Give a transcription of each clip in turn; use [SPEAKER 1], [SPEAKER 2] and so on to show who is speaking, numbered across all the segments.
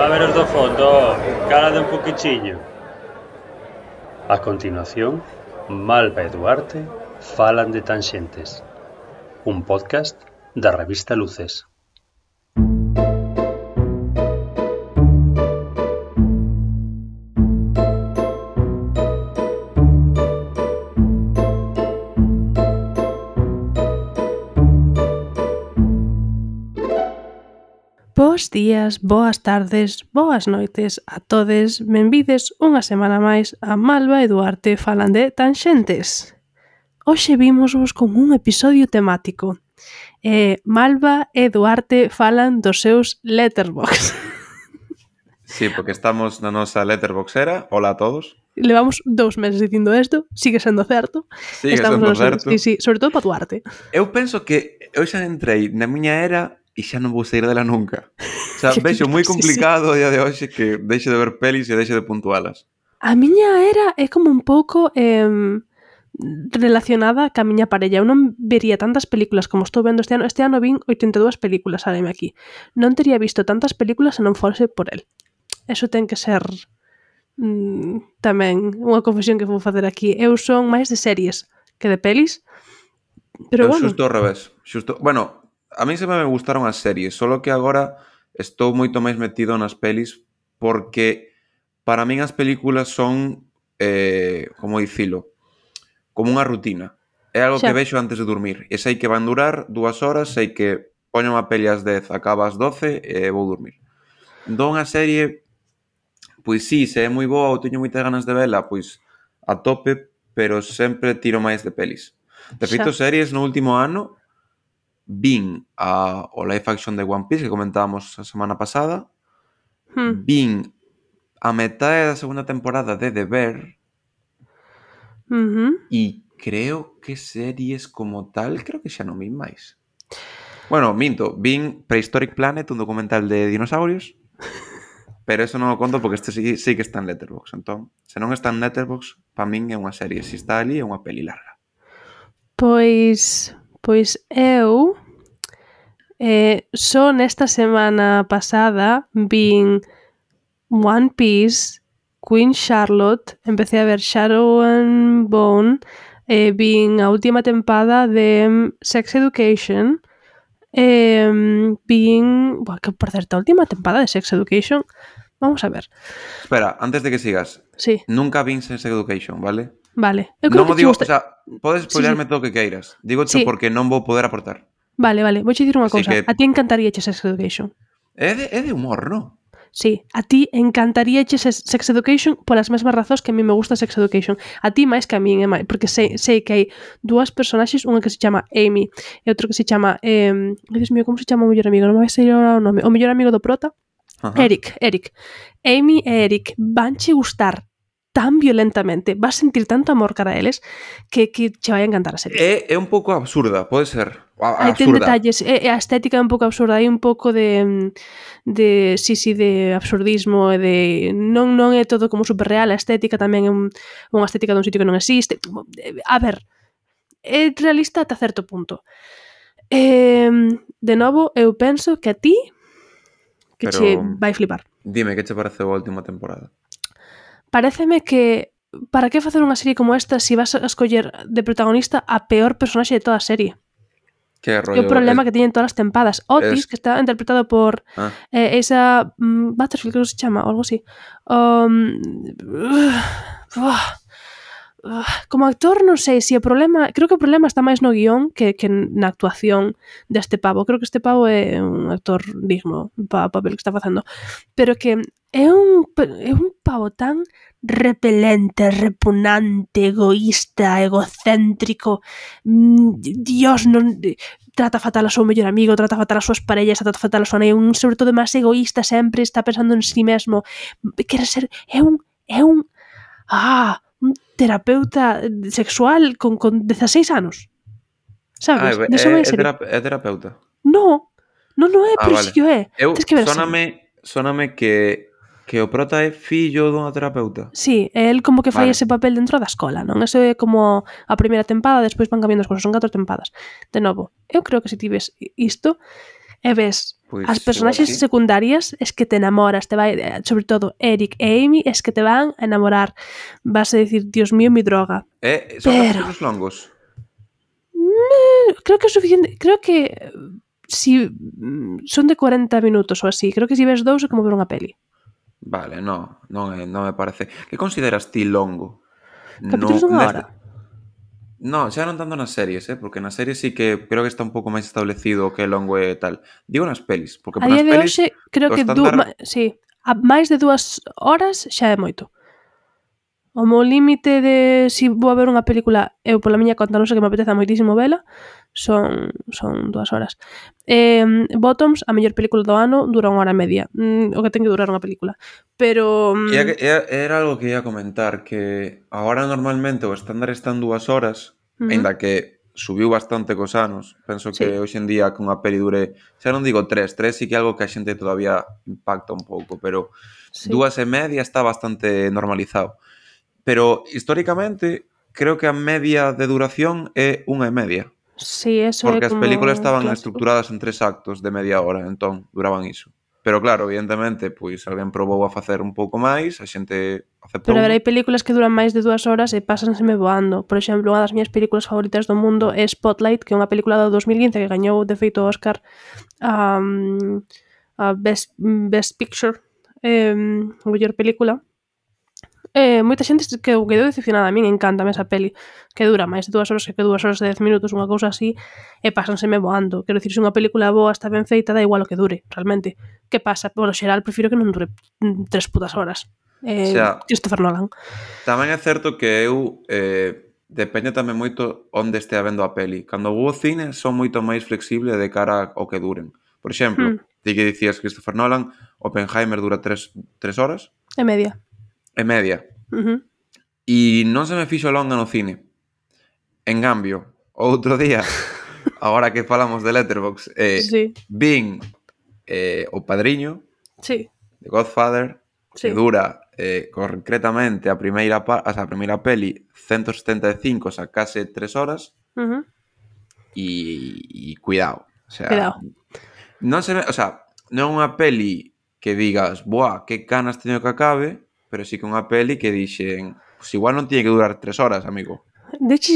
[SPEAKER 1] A ver os do fondo, calade un poquichiño. A continuación, Malva e Duarte falan de Tanxentes, un podcast da revista Luces.
[SPEAKER 2] Bos días, boas tardes, boas noites a todes, benvides unha semana máis a Malva e Duarte falan de Tanxentes. Hoxe vimosvos con un episodio temático. Malva e Duarte falan dos seus Letterboxd.
[SPEAKER 3] Sí, porque estamos na nosa Letterboxera. Hola a todos.
[SPEAKER 2] Levamos 2 meses dicindo isto, sigue sendo certo.
[SPEAKER 3] Sigue sendo certo.
[SPEAKER 2] Sí, sobre todo para Duarte.
[SPEAKER 3] Eu penso que eu xa entrei na miña era e xa non vou sair dela nunca. O sea, vexo moi complicado o día de hoxe que deixe de ver pelis e deixe de puntualas.
[SPEAKER 2] A miña era é como un pouco relacionada ca miña parella. Eu non vería tantas películas como estou vendo este ano. Este ano vin 82 películas, sábeme aquí. Non teria visto tantas películas se non fose por el. Eso ten que ser tamén unha confesión que vou facer aquí. Eu son máis de series que de pelis. Pero bueno.
[SPEAKER 3] Xusto ao revés. Bueno, a mí sempre me gustaron as series, solo que agora estou moito máis metido nas pelis porque para min as películas son, como dicilo, como unha rutina. É algo que vexo antes de dormir. E sei que van durar 2 horas, sei que poño unha peli ás 10, acaba ás 12 e vou dormir. Entón a serie, pois sí, se é moi boa ou teño moitas ganas de vela, pois a tope, pero sempre tiro máis de pelis. De feito, series no último ano vin o live action de One Piece que comentábamos a semana pasada, vin a metade da segunda temporada de The Bear e creo que series como tal creo que xa non vin máis. Bueno, minto, vin Prehistoric Planet, un documental de dinosaurios, pero eso non o conto porque este sí que está en Letterboxd. Entón, se non está en Letterboxd, pa min é unha serie, se está ali é unha peli larga.
[SPEAKER 2] Pois eu só nesta semana pasada vin One Piece, Queen Charlotte, empecé a ver Shadow and Bone, vin a última tempada de Sex Education, vin... que por certo, a última tempada de Sex Education, vamos a ver.
[SPEAKER 3] Espera, antes de que sigas,
[SPEAKER 2] sí.
[SPEAKER 3] Nunca vin Sex Education, vale?
[SPEAKER 2] Vale. Eu creo
[SPEAKER 3] non
[SPEAKER 2] que
[SPEAKER 3] o digo,
[SPEAKER 2] gusta...
[SPEAKER 3] o sea, podes spoilerme todo o que queiras. Digoche porque non vou poder aportar.
[SPEAKER 2] Vale, vou dicir unha cousa.
[SPEAKER 3] Que...
[SPEAKER 2] A ti encantaríache Sex Education.
[SPEAKER 3] É de humor, non?
[SPEAKER 2] Sí, a ti encantaríache Sex Education polas mesmas razóns que a mí me gusta Sex Education. A ti máis que a min, porque sei que hai 2 personaxes, unha que se chama Amy e outro que se chama... Dios mío, como se chama o mellor amigo? Non me vai sair agora o nome. O mellor amigo do prota? Eric. Amy e Eric vanche gustar tan violentamente, vas sentir tanto amor cara a eles que che vai a encantar a serie.
[SPEAKER 3] É un pouco absurda, pode ser.
[SPEAKER 2] Hai ten detalles, a estética é un pouco absurda, hai un pouco de absurdismo e de non é todo como superreal, a estética tamén é unha estética dun sitio que non existe. A ver, é realista ata certo punto. De novo, eu penso que a ti que che vai flipar.
[SPEAKER 3] Dime, que che pareceu a última temporada?
[SPEAKER 2] Paréceme que para que facer unha serie como esta se vas a escoller de protagonista a peor personaxe de toda a serie?
[SPEAKER 3] Que rollo?
[SPEAKER 2] É o problema que tiñen todas as tempadas. Otis, que está interpretado por esa Butterfield, creo que se chama, ou algo así. Como actor non sei se o problema, creo que o problema está máis no guión que na actuación deste pavo. Creo que este pavo é un actor digno para o papel que está facendo, pero que é un pavo tan repelente, repugnante, egoísta, egocéntrico. Dios, non trata fatal a súa mellor amigo, trata fatal as súas parellas, trata fatal a súa nai, sobre todo máis egoísta, sempre está pensando en si mesmo. Quere ser un terapeuta sexual con 16 anos. Sabes?
[SPEAKER 3] É terapeuta?
[SPEAKER 2] No é, pero vale. Si o é.
[SPEAKER 3] Sóname que o prota é fillo dunha terapeuta.
[SPEAKER 2] Sí, el como que fai ese papel dentro da escola, non? Eso é como a primeira tempada, despois van cambiando as cousas, son 4 tempadas. De novo, eu creo que se ti ves isto e ves
[SPEAKER 3] Pois,
[SPEAKER 2] As personaxes
[SPEAKER 3] igual sí.
[SPEAKER 2] secundarias es que te enamoras, te vai, sobre todo Eric e Amy, es que te van a enamorar. Vas a decir, Dios mío, mi droga.
[SPEAKER 3] Son
[SPEAKER 2] Pero
[SPEAKER 3] capítulos longos?
[SPEAKER 2] creo que é suficiente, creo que si son de 40 minutos ou así, creo que si ves dous é como ver unha peli.
[SPEAKER 3] Vale, non me parece. Que consideras ti longo?
[SPEAKER 2] Capítulos dunha hora.
[SPEAKER 3] No, xa non tanto nas series, porque nas series sí que creo que está un pouco máis establecido o que é longo e tal. Digo nas pelis, porque
[SPEAKER 2] A
[SPEAKER 3] para
[SPEAKER 2] día
[SPEAKER 3] nas
[SPEAKER 2] de
[SPEAKER 3] pelis
[SPEAKER 2] hoxe, creo
[SPEAKER 3] o
[SPEAKER 2] que
[SPEAKER 3] estándar...
[SPEAKER 2] sí, a máis de 2 horas xa é moito. O meu límite de si vou a ver unha película, eu pola miña conta non sei que me apeteza moitísimo vela, son 2 horas. Bottoms, a mellor película do ano, dura 1 hora e media. O que ten que durar unha película. Pero...
[SPEAKER 3] Era algo que ia comentar, que agora normalmente o estándar está en 2 horas, aínda que subiu bastante cos anos. Penso que
[SPEAKER 2] sí.
[SPEAKER 3] hoxe en día que unha peli dure, xa non digo 3 sí que é algo que a xente todavía impacta un pouco, pero
[SPEAKER 2] Sí.
[SPEAKER 3] 2 e media está bastante normalizado. Pero históricamente creo que a media de duración é 1 e media.
[SPEAKER 2] Sí, eso é
[SPEAKER 3] Porque as
[SPEAKER 2] como
[SPEAKER 3] películas estaban
[SPEAKER 2] clásico.
[SPEAKER 3] estructuradas en 3 actos de media hora, entón duraban iso. Pero claro, evidentemente, pois alguén probou a facer un pouco máis, a xente aceptou.
[SPEAKER 2] Pero a ver, hai películas que duran máis de 2 horas e pásanseme voando. Por exemplo, unha das miñas películas favoritas do mundo é Spotlight, que é unha película do 2015 que gañou de feito o Oscar a Best Picture, a mellor película. Moita xente quedou decepcionada. A min encántame esa peli, que dura máis de 2 horas, que 2 horas e 10 minutos, unha cousa así, e pásanseme voando. Quero dicir, se unha película boa está ben feita, dá igual o que dure, realmente. Que pasa? Por lo xeral, prefiro que non dure 3 putas horas. Christopher Nolan.
[SPEAKER 3] Tamén é certo que eu depende tamén moito onde estea vendo a peli. Cando vou ao cine son moito máis flexible de cara ao que duren. Por exemplo, ti que dicías Christopher Nolan, Oppenheimer dura 3 horas
[SPEAKER 2] E media.
[SPEAKER 3] e media. E non se me fixo longa no cine. En cambio, outro día, agora que falamos de Letterboxd,
[SPEAKER 2] Sí.
[SPEAKER 3] vin O Padriño,
[SPEAKER 2] Sí.
[SPEAKER 3] The Godfather,
[SPEAKER 2] Sí.
[SPEAKER 3] que dura concretamente a primeira peli 175, xa case 3 horas. E cuidado, o sea,
[SPEAKER 2] Cuidado.
[SPEAKER 3] non se ve, o sea, non é unha peli que digas, buah, que canas teño que acabe, pero sí que unha peli que dixen, pues igual non tiñe que durar 3 horas, amigo.
[SPEAKER 2] De hecho,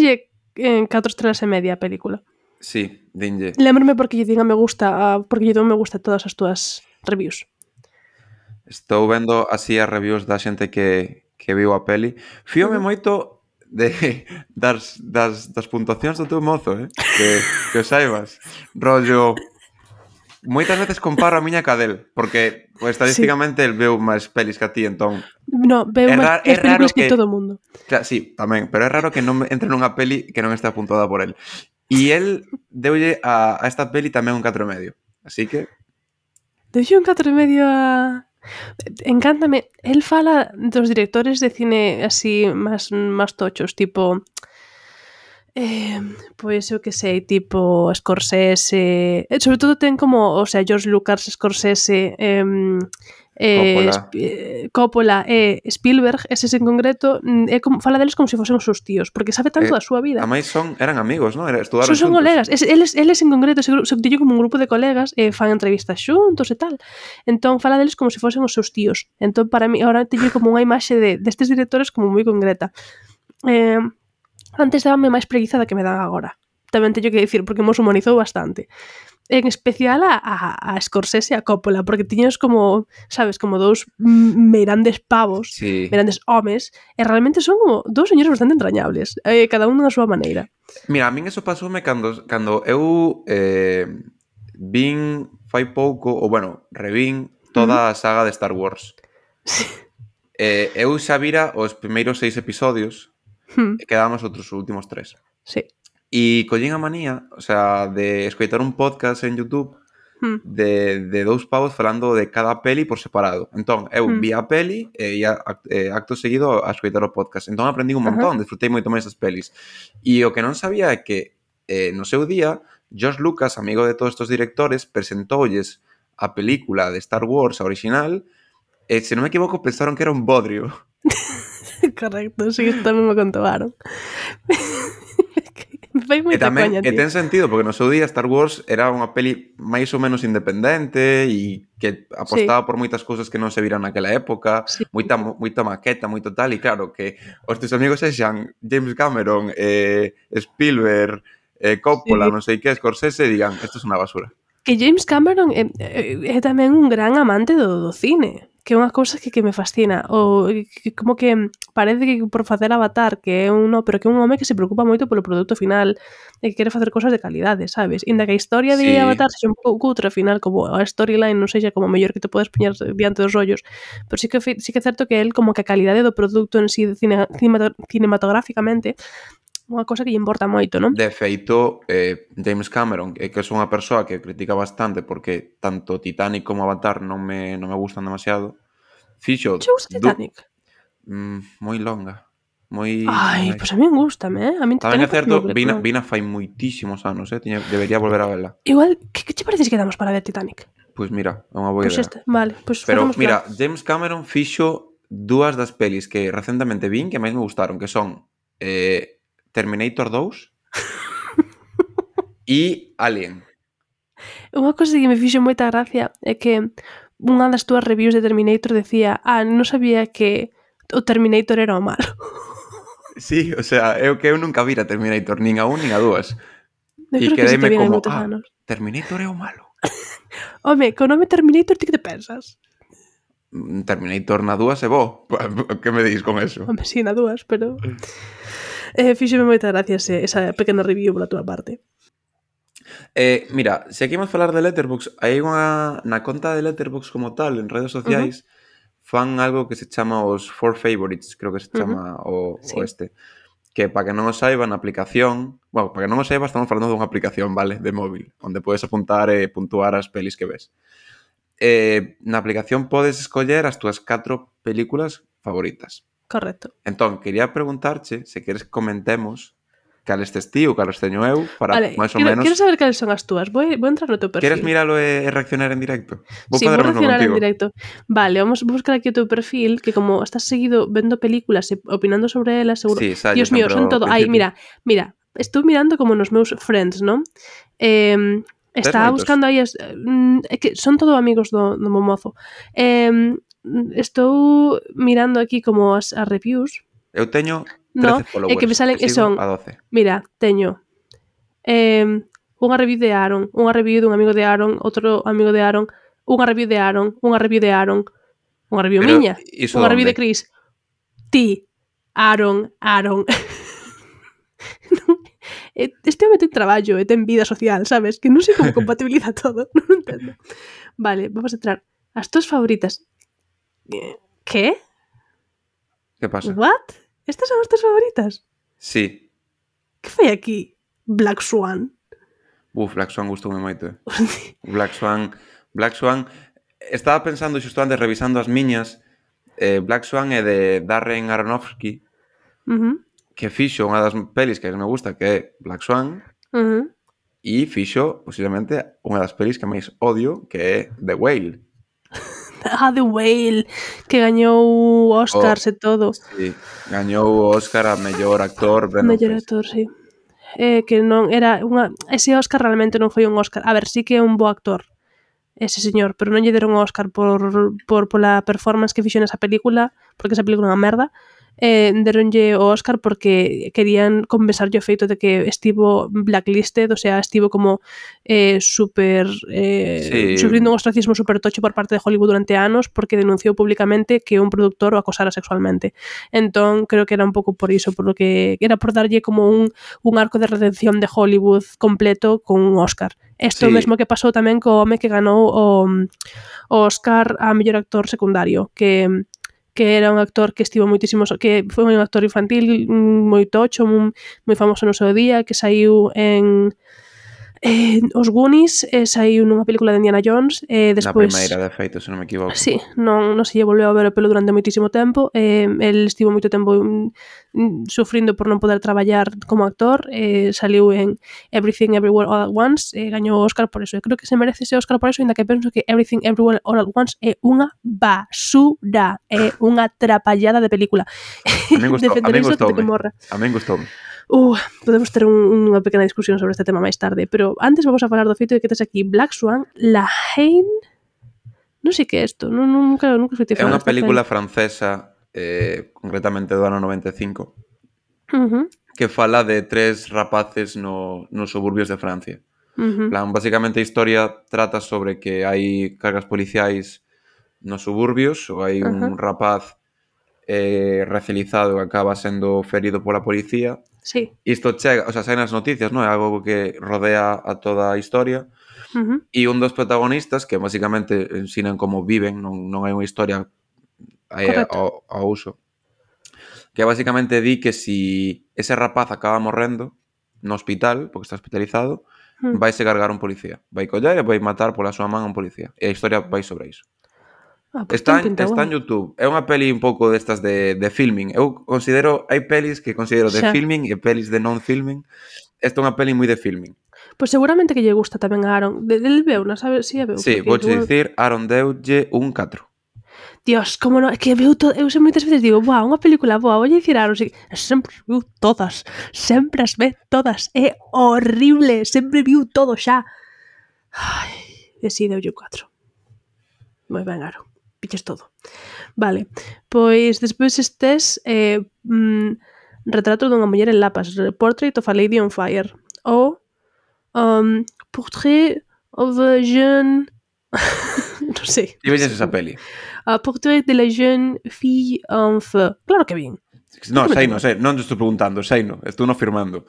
[SPEAKER 2] en 4 estrelas e media a película.
[SPEAKER 3] Sí, dinlle.
[SPEAKER 2] Lémbrame porque lle diga me gusta, porque lle dou me gusta todas as túas reviews.
[SPEAKER 3] Estou vendo así as reviews da xente que viu a peli. Fíome moito das puntuacións do teu mozo, que o saibas. Rollo, moitas veces comparo a miña cadel, porque pues, estadísticamente el veu máis pelis que a ti, entón...
[SPEAKER 2] No, veu máis películas que todo o mundo.
[SPEAKER 3] Claro, sí, tamén, pero é raro que non entre nunha peli que non está apuntada por el. E el deulle a esta peli tamén un 4,5. Así que...
[SPEAKER 2] Deulle un 4,5 a... Encántame. El fala dos directores de cine así máis tochos, tipo... pois eu que sei, tipo Scorsese, sobre todo ten como, o sea, George Lucas, Scorsese, Coppola e Spielberg, eses en concreto, é como fala deles como se fosen os seus tíos, porque sabe tanto da súa vida.
[SPEAKER 3] A máis eran amigos, non? Estudaron
[SPEAKER 2] son
[SPEAKER 3] xuntos.
[SPEAKER 2] Colegas, eles en concreto se dillo como un grupo de colegas e fan entrevistas xuntos e tal. Entón fala deles como se fosen os seus tíos. Entón para mí agora teño como unha imaxe destes directores como moi concreta. Antes dábame máis preguiza da que me dan agora. Tamén teño que dicir, porque mos humanizou bastante. En especial a Scorsese e a Coppola, porque tiños como, sabes, como dous meirandes pavos,
[SPEAKER 3] sí.
[SPEAKER 2] Meirandes homes, e realmente son como dous señores bastante entrañables, cada un na súa maneira.
[SPEAKER 3] Mira, a min eso pasoume cando eu vin fai pouco, ou bueno, revín toda a saga de Star Wars.
[SPEAKER 2] Sí.
[SPEAKER 3] Eu xa vira os primeiros 6 episodios, e quedamos outros últimos 3.
[SPEAKER 2] Sí.
[SPEAKER 3] E collín a manía, o sea, de escoitar un podcast en YouTube de dous pavos falando de cada peli por separado. Entón, eu vi a peli e acto seguido a escoitar o podcast. Entón aprendi un montón, disfrutei moito máis das pelis. E o que non sabía é que no seu día, George Lucas, amigo de todos estes directores, presentoulles a película de Star Wars, a original, e se non me equivoco pensaron que era un bodrio.
[SPEAKER 2] Correcto, sí, isto tamén me contaron. Fai moita coña,
[SPEAKER 3] E
[SPEAKER 2] tío.
[SPEAKER 3] ten sentido, porque no seu día Star Wars era unha peli máis ou menos independente e que apostaba por moitas cousas que non se viran naquela época,
[SPEAKER 2] Sí.
[SPEAKER 3] moita maqueta, moito tal, e claro, que os teus amigos sexan James Cameron, Spielberg, Coppola,
[SPEAKER 2] Sí.
[SPEAKER 3] non sei que, Scorsese, e digan, isto é unha basura.
[SPEAKER 2] Que James Cameron é tamén un gran amante do cine, que é unha cousa que me fascina. Que como que parece que por facer Avatar, que é pero que é un home que se preocupa moito polo produto final e que quere facer cosas de calidade, sabes? Inda que a historia de
[SPEAKER 3] Sí.
[SPEAKER 2] Avatar sexa un pouco cutre, ao final, como a storyline non sexa como mellor que te podes poñer diante dos ollos, pero sí que é certo que el como que a calidade do produto en sí cinematográficamente unha cosa que lle importa moito, non?
[SPEAKER 3] De feito, James Cameron, que é unha persoa que critica bastante porque tanto Titanic como Avatar non me gustan demasiado, fixo...
[SPEAKER 2] Che gusta Titanic?
[SPEAKER 3] Moi longa. Moi...
[SPEAKER 2] Ai, pois a min gústame, A min
[SPEAKER 3] Tamén é
[SPEAKER 2] Titanic
[SPEAKER 3] certo,
[SPEAKER 2] parece unha película.
[SPEAKER 3] vina fai moitísimos anos, debería volver a vela.
[SPEAKER 2] Igual, que che parece se quedamos para ver Titanic?
[SPEAKER 3] Pois mira, é unha boa
[SPEAKER 2] Pois
[SPEAKER 3] idea.
[SPEAKER 2] vale, pois
[SPEAKER 3] Pero
[SPEAKER 2] facemos
[SPEAKER 3] mira,
[SPEAKER 2] plan.
[SPEAKER 3] James Cameron fixo dúas das pelis que recentemente vin que máis me gustaron, que son Terminator 2 e Alien.
[SPEAKER 2] Unha cosa que me fixo moita gracia é que unha das túas reviews de Terminator decía non sabía que o Terminator era o malo.
[SPEAKER 3] Sí, o sea, é o que eu nunca vira Terminator, nin a un nin a dúas.
[SPEAKER 2] Eu
[SPEAKER 3] E
[SPEAKER 2] creo que sí que
[SPEAKER 3] quedeime
[SPEAKER 2] viene hai
[SPEAKER 3] como,
[SPEAKER 2] moitos anos.
[SPEAKER 3] Terminator é o malo.
[SPEAKER 2] Home, co nome Terminator ti que te pensas?
[SPEAKER 3] Terminator na dúas é bo. Que me dis con eso?
[SPEAKER 2] Home, sí, na dúas, pero... fíxeme moita gracia esa pequena review pola túa parte.
[SPEAKER 3] Mira, se aquí imos falar de Letterboxd, hai unha na conta de Letterboxd como tal, en redes sociais, fan algo que se chama os 4 favorites, creo que se chama o este. Que para que non o saiba, na aplicación... Bueno, para que non o saiba, estamos falando dunha aplicación, vale, de móvil, onde podes apuntar e puntuar as pelis que ves. Na aplicación podes escoller as túas 4 películas favoritas.
[SPEAKER 2] Correcto.
[SPEAKER 3] Entón, quería preguntarche se queres que comentemos cales tes ti ou cales teño eu para
[SPEAKER 2] Vale,
[SPEAKER 3] máis ou menos...
[SPEAKER 2] quero saber cales son as túas. Vou entrar no teu perfil.
[SPEAKER 3] Queres miralo e reaccionar en directo?
[SPEAKER 2] Sí, vou reaccionar en directo. Vale, vamos a buscar aquí o teu perfil, que como estás seguido vendo películas e opinando sobre elas, seguro...
[SPEAKER 3] Sí,
[SPEAKER 2] Dios mío, son todo... Ai, mira, estou mirando como nos meus friends, non? Estaba buscando aí é que son todo amigos do momozo. Estou mirando aquí como as reviews.
[SPEAKER 3] Eu teño 13 followers.
[SPEAKER 2] É que me salen
[SPEAKER 3] que
[SPEAKER 2] son...
[SPEAKER 3] a 12.
[SPEAKER 2] Mira, teño unha review de Aaron, unha review dun amigo de Aaron, outro amigo de Aaron, unha review de Aaron, unha review de Aaron, unha review
[SPEAKER 3] Pero
[SPEAKER 2] miña, unha review de Chris. Ti, Aaron. Este home ten traballo e ten vida social, sabes? Que non sei como compatibiliza todo, non entendo. Vale, vamos a entrar. As túas favoritas. Que?
[SPEAKER 3] Que pasa?
[SPEAKER 2] What? Estas son as túas favoritas?
[SPEAKER 3] Sí.
[SPEAKER 2] Que fai aquí? Black Swan.
[SPEAKER 3] Black Swan gustoume moito. Black Swan... Estaba pensando xusto antes, revisando as miñas, Black Swan é de Darren Aronofsky, que fixo unha das pelis que me gusta, que é Black Swan, e fixo, posiblemente, unha das pelis que máis odio, que é The Whale.
[SPEAKER 2] The Whale, que gañou Oscars e todo.
[SPEAKER 3] Sí, gañou o Oscar a mellor actor,
[SPEAKER 2] mellor actor, sí. Que non era unha... Ese Oscar realmente non foi un Oscar. A ver, sí que é un bo actor, ese señor, pero non lle deron o Oscar pola performance que fixo nesa película, porque esa película é unha merda. Deronlle o Oscar porque querían compensarlle o feito de que estivo blacklisted, o sea, estivo como super sufrindo un ostracismo super tocho por parte de Hollywood durante anos porque denunciou públicamente que un productor o acosara sexualmente. Entón, creo que era un pouco por iso, por lo que era por darlle como un arco de redención de Hollywood completo con un Oscar. Isto mesmo que pasou tamén co home que ganou o Oscar a mellor actor secundario, que era un actor que estivo moitísimo, que foi un actor infantil moi tocho, moi famoso no seu día, que saiu en Os Goonies, saiu nunha película de Indiana Jones, despois...
[SPEAKER 3] Na primeira, de feito, se non me equivoco.
[SPEAKER 2] Sí, non se lle volveu a ver o pelo durante moitísimo tempo, el estivo moito tempo sufrindo por non poder traballar como actor, saliu en Everything Everywhere All at Once, gañou o Oscar por eso, e creo que se merece ese Oscar por eso, ainda que penso que Everything Everywhere All at Once é unha basura, é unha trapallada de película.
[SPEAKER 3] A min gustoume. A min gustoume.
[SPEAKER 2] Podemos ter unha pequena discusión sobre este tema máis tarde, pero antes vamos a falar do feito de que tes aquí Black Swan, La Haine, non sei que é isto, nunca escutei
[SPEAKER 3] É
[SPEAKER 2] falar
[SPEAKER 3] unha
[SPEAKER 2] desta
[SPEAKER 3] película
[SPEAKER 2] peli.
[SPEAKER 3] francesa, concretamente do ano 95,
[SPEAKER 2] Uh-huh,
[SPEAKER 3] que fala de 3 rapaces nos suburbios de Francia.
[SPEAKER 2] uh-huh.
[SPEAKER 3] Plan, basicamente a historia trata sobre que hai cargas policiais nos suburbios, ou hai un rapaz racializado que acaba sendo ferido pola policía.
[SPEAKER 2] Sí.
[SPEAKER 3] Isto chega, o sea, sai nas noticias, non? É algo que rodea a toda a historia.
[SPEAKER 2] Uh-huh.
[SPEAKER 3] E un dos protagonistas, que basicamente ensinan como viven, non hai unha historia ao uso, que basicamente di que si ese rapaz acaba morrendo no hospital, porque está hospitalizado, vaise cargar un policía. Vai coller e vai matar pola súa man a un policía. E a historia vai sobre iso.
[SPEAKER 2] Pues
[SPEAKER 3] Está en YouTube. É unha peli un pouco destas de filming. Eu considero, hai pelis que considero de filming e pelis de non-filming. Esta é unha peli moi de filming.
[SPEAKER 2] Pois seguramente que lle gusta tamén a Aaron. Del veu, non sabe si é veu.
[SPEAKER 3] Sí, vou dicir, Aaron deulle un 4.
[SPEAKER 2] Dios, como non, é que veu todo, eu moitas veces digo, buah, unha película boa, vou dicir a Aaron, sempre viu todas, sempre as ve todas, é horrible, sempre viu todo xa. Ai, e si, deulle 4. Moi ben, Aaron, piches todo. Vale, pois despois estes Retrato dunha muller en lapas, Portrait of a Lady on Fire, ou Portrait of a Jeune... non sei.
[SPEAKER 3] E veñes esa peli?
[SPEAKER 2] Portrait de la Jeune Fille en Feu. Claro que bien.
[SPEAKER 3] No, sei, non te estou preguntando, sei, no, estou no firmando.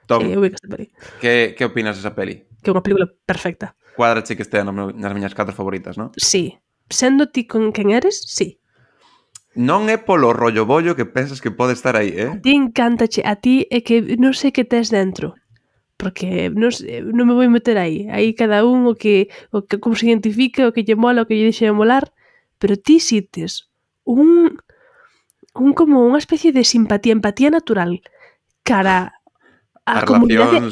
[SPEAKER 3] Tom,
[SPEAKER 2] eu vi que esta peli.
[SPEAKER 3] Que opinas desa peli?
[SPEAKER 2] Que é unha película perfecta.
[SPEAKER 3] Cuadrache que estea nas miñas 4 favoritas, non?
[SPEAKER 2] Sí. Sendo ti con quen eres, sí.
[SPEAKER 3] Non é polo rollo bollo que pensas que pode estar aí,
[SPEAKER 2] A ti encántache, a ti é que non sei que tes dentro. Porque non me vou meter aí. Aí cada un o que como se identifica, o que lle mola, o que lle deixa de molar, pero ti sites un como unha especie de simpatía, empatía natural cara a comunidade,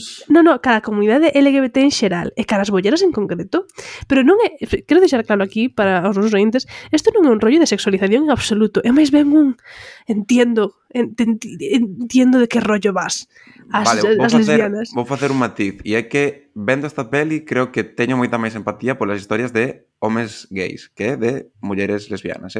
[SPEAKER 2] cara a comunidade LGBT en xeral e cara as bolleras en concreto, pero non é, quero deixar claro aquí para os nosos ointes, isto non é un rollo de sexualización en absoluto, é máis ben un entiendo de que rollo vas as lesbianas.
[SPEAKER 3] Vou facer un matiz, e é que vendo esta peli creo que teño moita máis empatía polas historias de homes gays que de mulleres lesbianas,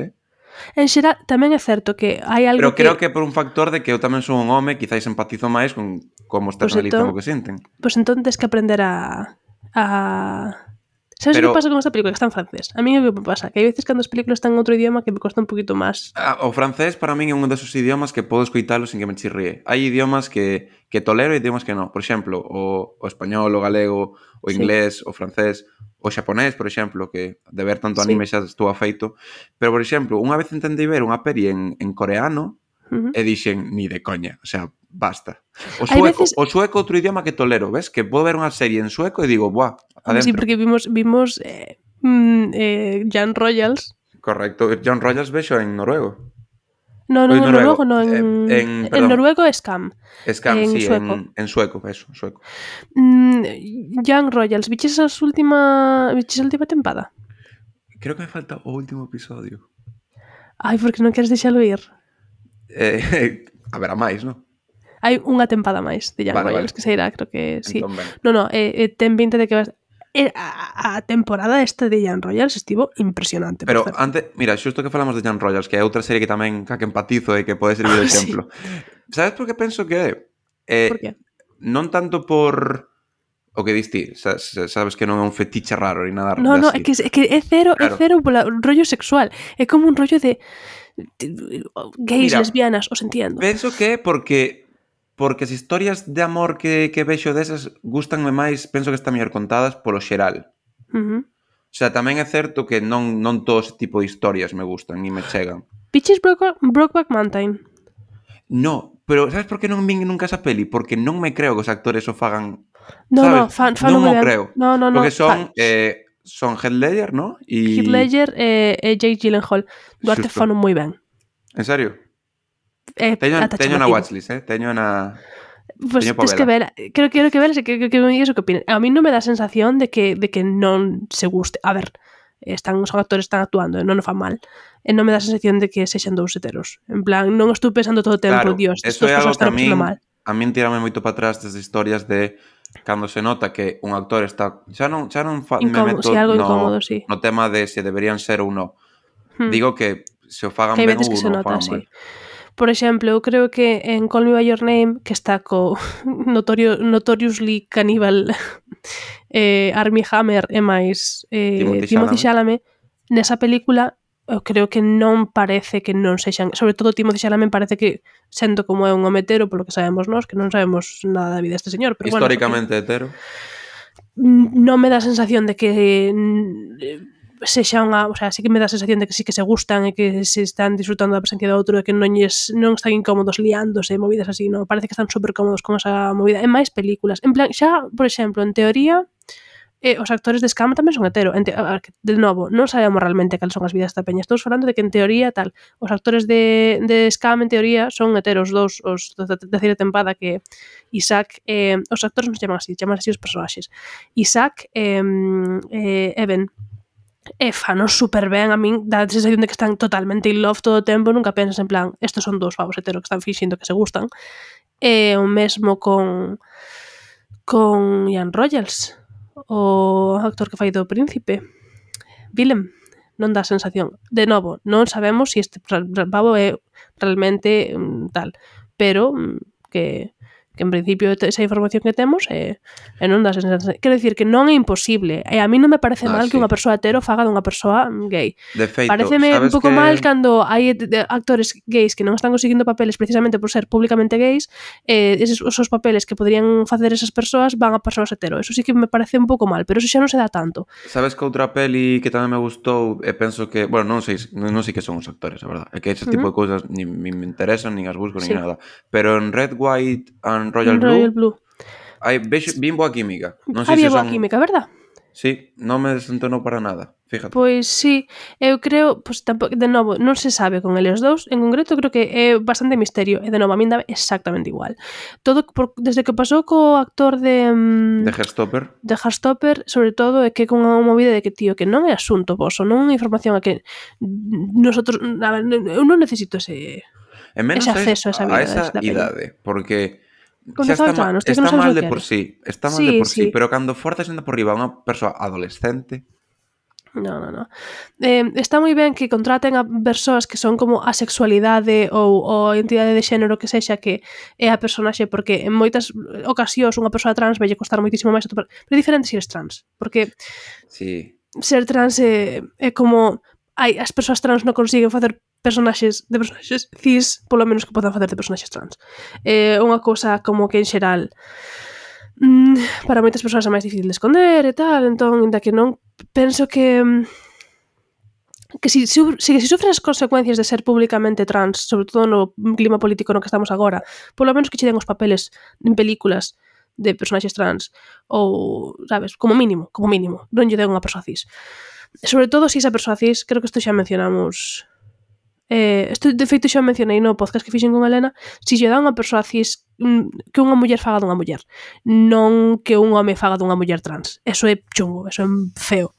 [SPEAKER 2] En xeral, tamén é certo que hai algo
[SPEAKER 3] pero creo que por un factor de que eu tamén son un home, quizáis empatizo máis con como externalizan o que sinten.
[SPEAKER 2] Pois entón tens que aprender a... Sabes que pasa con esta película? Que está en francés. A mí é o que me pasa, que hai veces cando as películas están en outro idioma que me costa un poquito máis.
[SPEAKER 3] O francés para min é un desos idiomas que podo escoitalo sin que me chirríe. Hai idiomas que tolero e idiomas que non. Por exemplo, o español, o galego, o inglés, o francés, o xaponés, por exemplo, que de ver tanto anime xa estou afeito. Pero, por exemplo, unha vez entendei ver unha peli en coreano e dixen, ni de coña, o sea, basta. O sueco outro idioma que tolero, ves? Que podo ver unha serie en sueco e digo, buah, adentro.
[SPEAKER 2] Sí, porque vimos Jan Royals.
[SPEAKER 3] Correcto, Jan Royals vexo en noruego.
[SPEAKER 2] No, en noruego no, en noruego é Scam.
[SPEAKER 3] Scam, sí, sueco. En sueco, eso, en sueco.
[SPEAKER 2] Young Royals, viches a última tempada?
[SPEAKER 3] Creo que me falta o último episodio.
[SPEAKER 2] Ai, porque non queres deixalo ir?
[SPEAKER 3] A ver, a máis, non?
[SPEAKER 2] Hai unha tempada máis de Young Royals, que sairá, creo que sí.
[SPEAKER 3] Entón,
[SPEAKER 2] ten pinta de que vas... A temporada esta de Young Royals estivo impresionante.
[SPEAKER 3] Pero antes, mira, xusto que falamos de Young Royals, que é outra serie que tamén que empatizo e que pode servir de exemplo. Sí. Sabes por que penso que
[SPEAKER 2] por qué?
[SPEAKER 3] Non tanto por o que diste, sabes que non é un fetiche raro ni nada.
[SPEAKER 2] No, é que é cero, claro. É cero pola rollo sexual. É como un rollo de gays, mira, lesbianas, os entiendo.
[SPEAKER 3] Penso que é porque as historias de amor que vexo desas gustanme máis, penso que están mellor contadas polo xeral. O sea, tamén é certo que non todo ese tipo de historias me gustan ni me chegan.
[SPEAKER 2] Piches Brokeback Mountain?
[SPEAKER 3] No, pero sabes por que non vin nunca esa peli? Porque non me creo que os actores o fagan.
[SPEAKER 2] No,
[SPEAKER 3] fan
[SPEAKER 2] non
[SPEAKER 3] mo creo.
[SPEAKER 2] No.
[SPEAKER 3] Porque son Heath Ledger, ¿no?
[SPEAKER 2] Heath Ledger e Jake Gyllenhaal. Duarte fan moi ben.
[SPEAKER 3] En serio? Teño na watchlist, teño na...
[SPEAKER 2] Pues tens que ver, creo que ver que me digas o que opinas. A mí non me dá sensación de que non se guste. A ver, os actores están actuando, non o fan mal. E non me dá sensación de que sexan dous heteros. En plan, non estou pensando todo o tempo,
[SPEAKER 3] claro,
[SPEAKER 2] Dios,
[SPEAKER 3] eso é algo que a mí a min tirame moito para atrás desde historias de cando se nota que un actor está... Xa non me
[SPEAKER 2] Incómodo,
[SPEAKER 3] meto
[SPEAKER 2] si algo incómodo, sí.
[SPEAKER 3] no tema de se deberían ser ou non. Digo que se o fagan
[SPEAKER 2] Que hai
[SPEAKER 3] ben
[SPEAKER 2] veces
[SPEAKER 3] ou
[SPEAKER 2] que se
[SPEAKER 3] non o
[SPEAKER 2] nota,
[SPEAKER 3] fagan mal.
[SPEAKER 2] sí. Por exemplo, eu creo que en Call Me By Your Name, que está co Notoriously Cannibal Armie Hammer e máis Timothy Chalamet, nesa película eu creo que non parece que non sexan, sobre todo Timothy Chalamet parece que sendo como é un home hetero, polo que sabemos nós, que non sabemos nada da vida deste señor, pero
[SPEAKER 3] históricamente hetero.
[SPEAKER 2] Non me dá a sensación de que sexa unha, o sea, sí que me dá a sensación de que sí que se gustan e que se están disfrutando da presencia do outro e que non están incómodos liándose, movidas así, non, parece que están super cómodos con esa movida, en máis películas, en plan, xa, por exemplo, en teoría os actores de Scam tamén son hetero. De novo, non sabemos realmente cales son as vidas da peña. Estou falando de que en teoría tal, os actores de Scam en teoría son heteros, os da terceira tempada, que Isaac, os actores non se chaman así os personaxes. Isaac Evan fanos super ben, a min dá a sensación de que están totalmente in love todo o tempo, nunca pensas en plan, estos son dous pavos heteros que están finxindo que se gustan. O mesmo con Ian Royals, o actor que fai do príncipe, Willem, non dá sensación. De novo, non sabemos se este pavo é realmente tal, pero que en principio esa información que temos e non dá sensación. Quero dicir que non é imposible, e a mí non me parece mal que unha persoa hetero faga dunha persoa gay.
[SPEAKER 3] De feito,
[SPEAKER 2] pareceme un pouco mal cando hai actores gays que non están conseguindo papeles precisamente por ser públicamente gays, esos papeles que podrían facer esas persoas van a persoas hetero. Eso sí que me parece un pouco mal, pero eso xa non se dá tanto.
[SPEAKER 3] Sabes que outra peli que tamén me gustou, e penso que, bueno, non sei que son os actores, a verdade, é que ese tipo de cousas nin me interesan, nin as busco, nin nada, pero en Red, White and Royal Blue vin boa química. Non sei
[SPEAKER 2] había
[SPEAKER 3] se
[SPEAKER 2] boa
[SPEAKER 3] son...
[SPEAKER 2] química, verdad?
[SPEAKER 3] Sí, non me desentonou para nada, fíjate.
[SPEAKER 2] Pois sí, eu creo, pois tampouco, de novo, non se sabe con eles dous, en concreto creo que é bastante misterio, e de novo a min dá exactamente igual. Todo desde que pasou co actor de
[SPEAKER 3] Heartstopper.
[SPEAKER 2] De Heartstopper, sobre todo, é que con unha movida de que, tío, que non é asunto voso, non é información a que nosotros, a ver, eu non necesito ese acceso a esa vida,
[SPEAKER 3] a esa idade, porque
[SPEAKER 2] con
[SPEAKER 3] xa está mal de por sí, pero cando forzas ainda por riba a unha persoa adolescente...
[SPEAKER 2] No. Está moi ben que contraten a persoas que son como a sexualidade ou a entidade de xénero que sexa que é a personaxe, porque en moitas ocasións unha persoa trans vai costar moitísimo máis atopar, pero é diferente se eres trans, porque ser trans é como as persoas trans non consiguen facer personaxes cis, polo menos que podan facer de personaxes trans. É unha cousa como que en xeral para moitas persoas é máis difícil de esconder e tal, entón, inda que non penso que si sufres as consecuencias de ser públicamente trans, sobre todo no clima político no que estamos agora, polo menos que che den os papeles en películas de personaxes trans, ou, sabes, como mínimo, non lle den unha persoa cis. Sobre todo se esa persoa cis, creo que isto xa mencionamos... Isto de feito xa mencionei no podcast que fixen con Helena, se lle dá unha persoa cis, que unha muller faga dunha muller, non que un home faga dunha muller trans. Eso é chungo, eso é feo.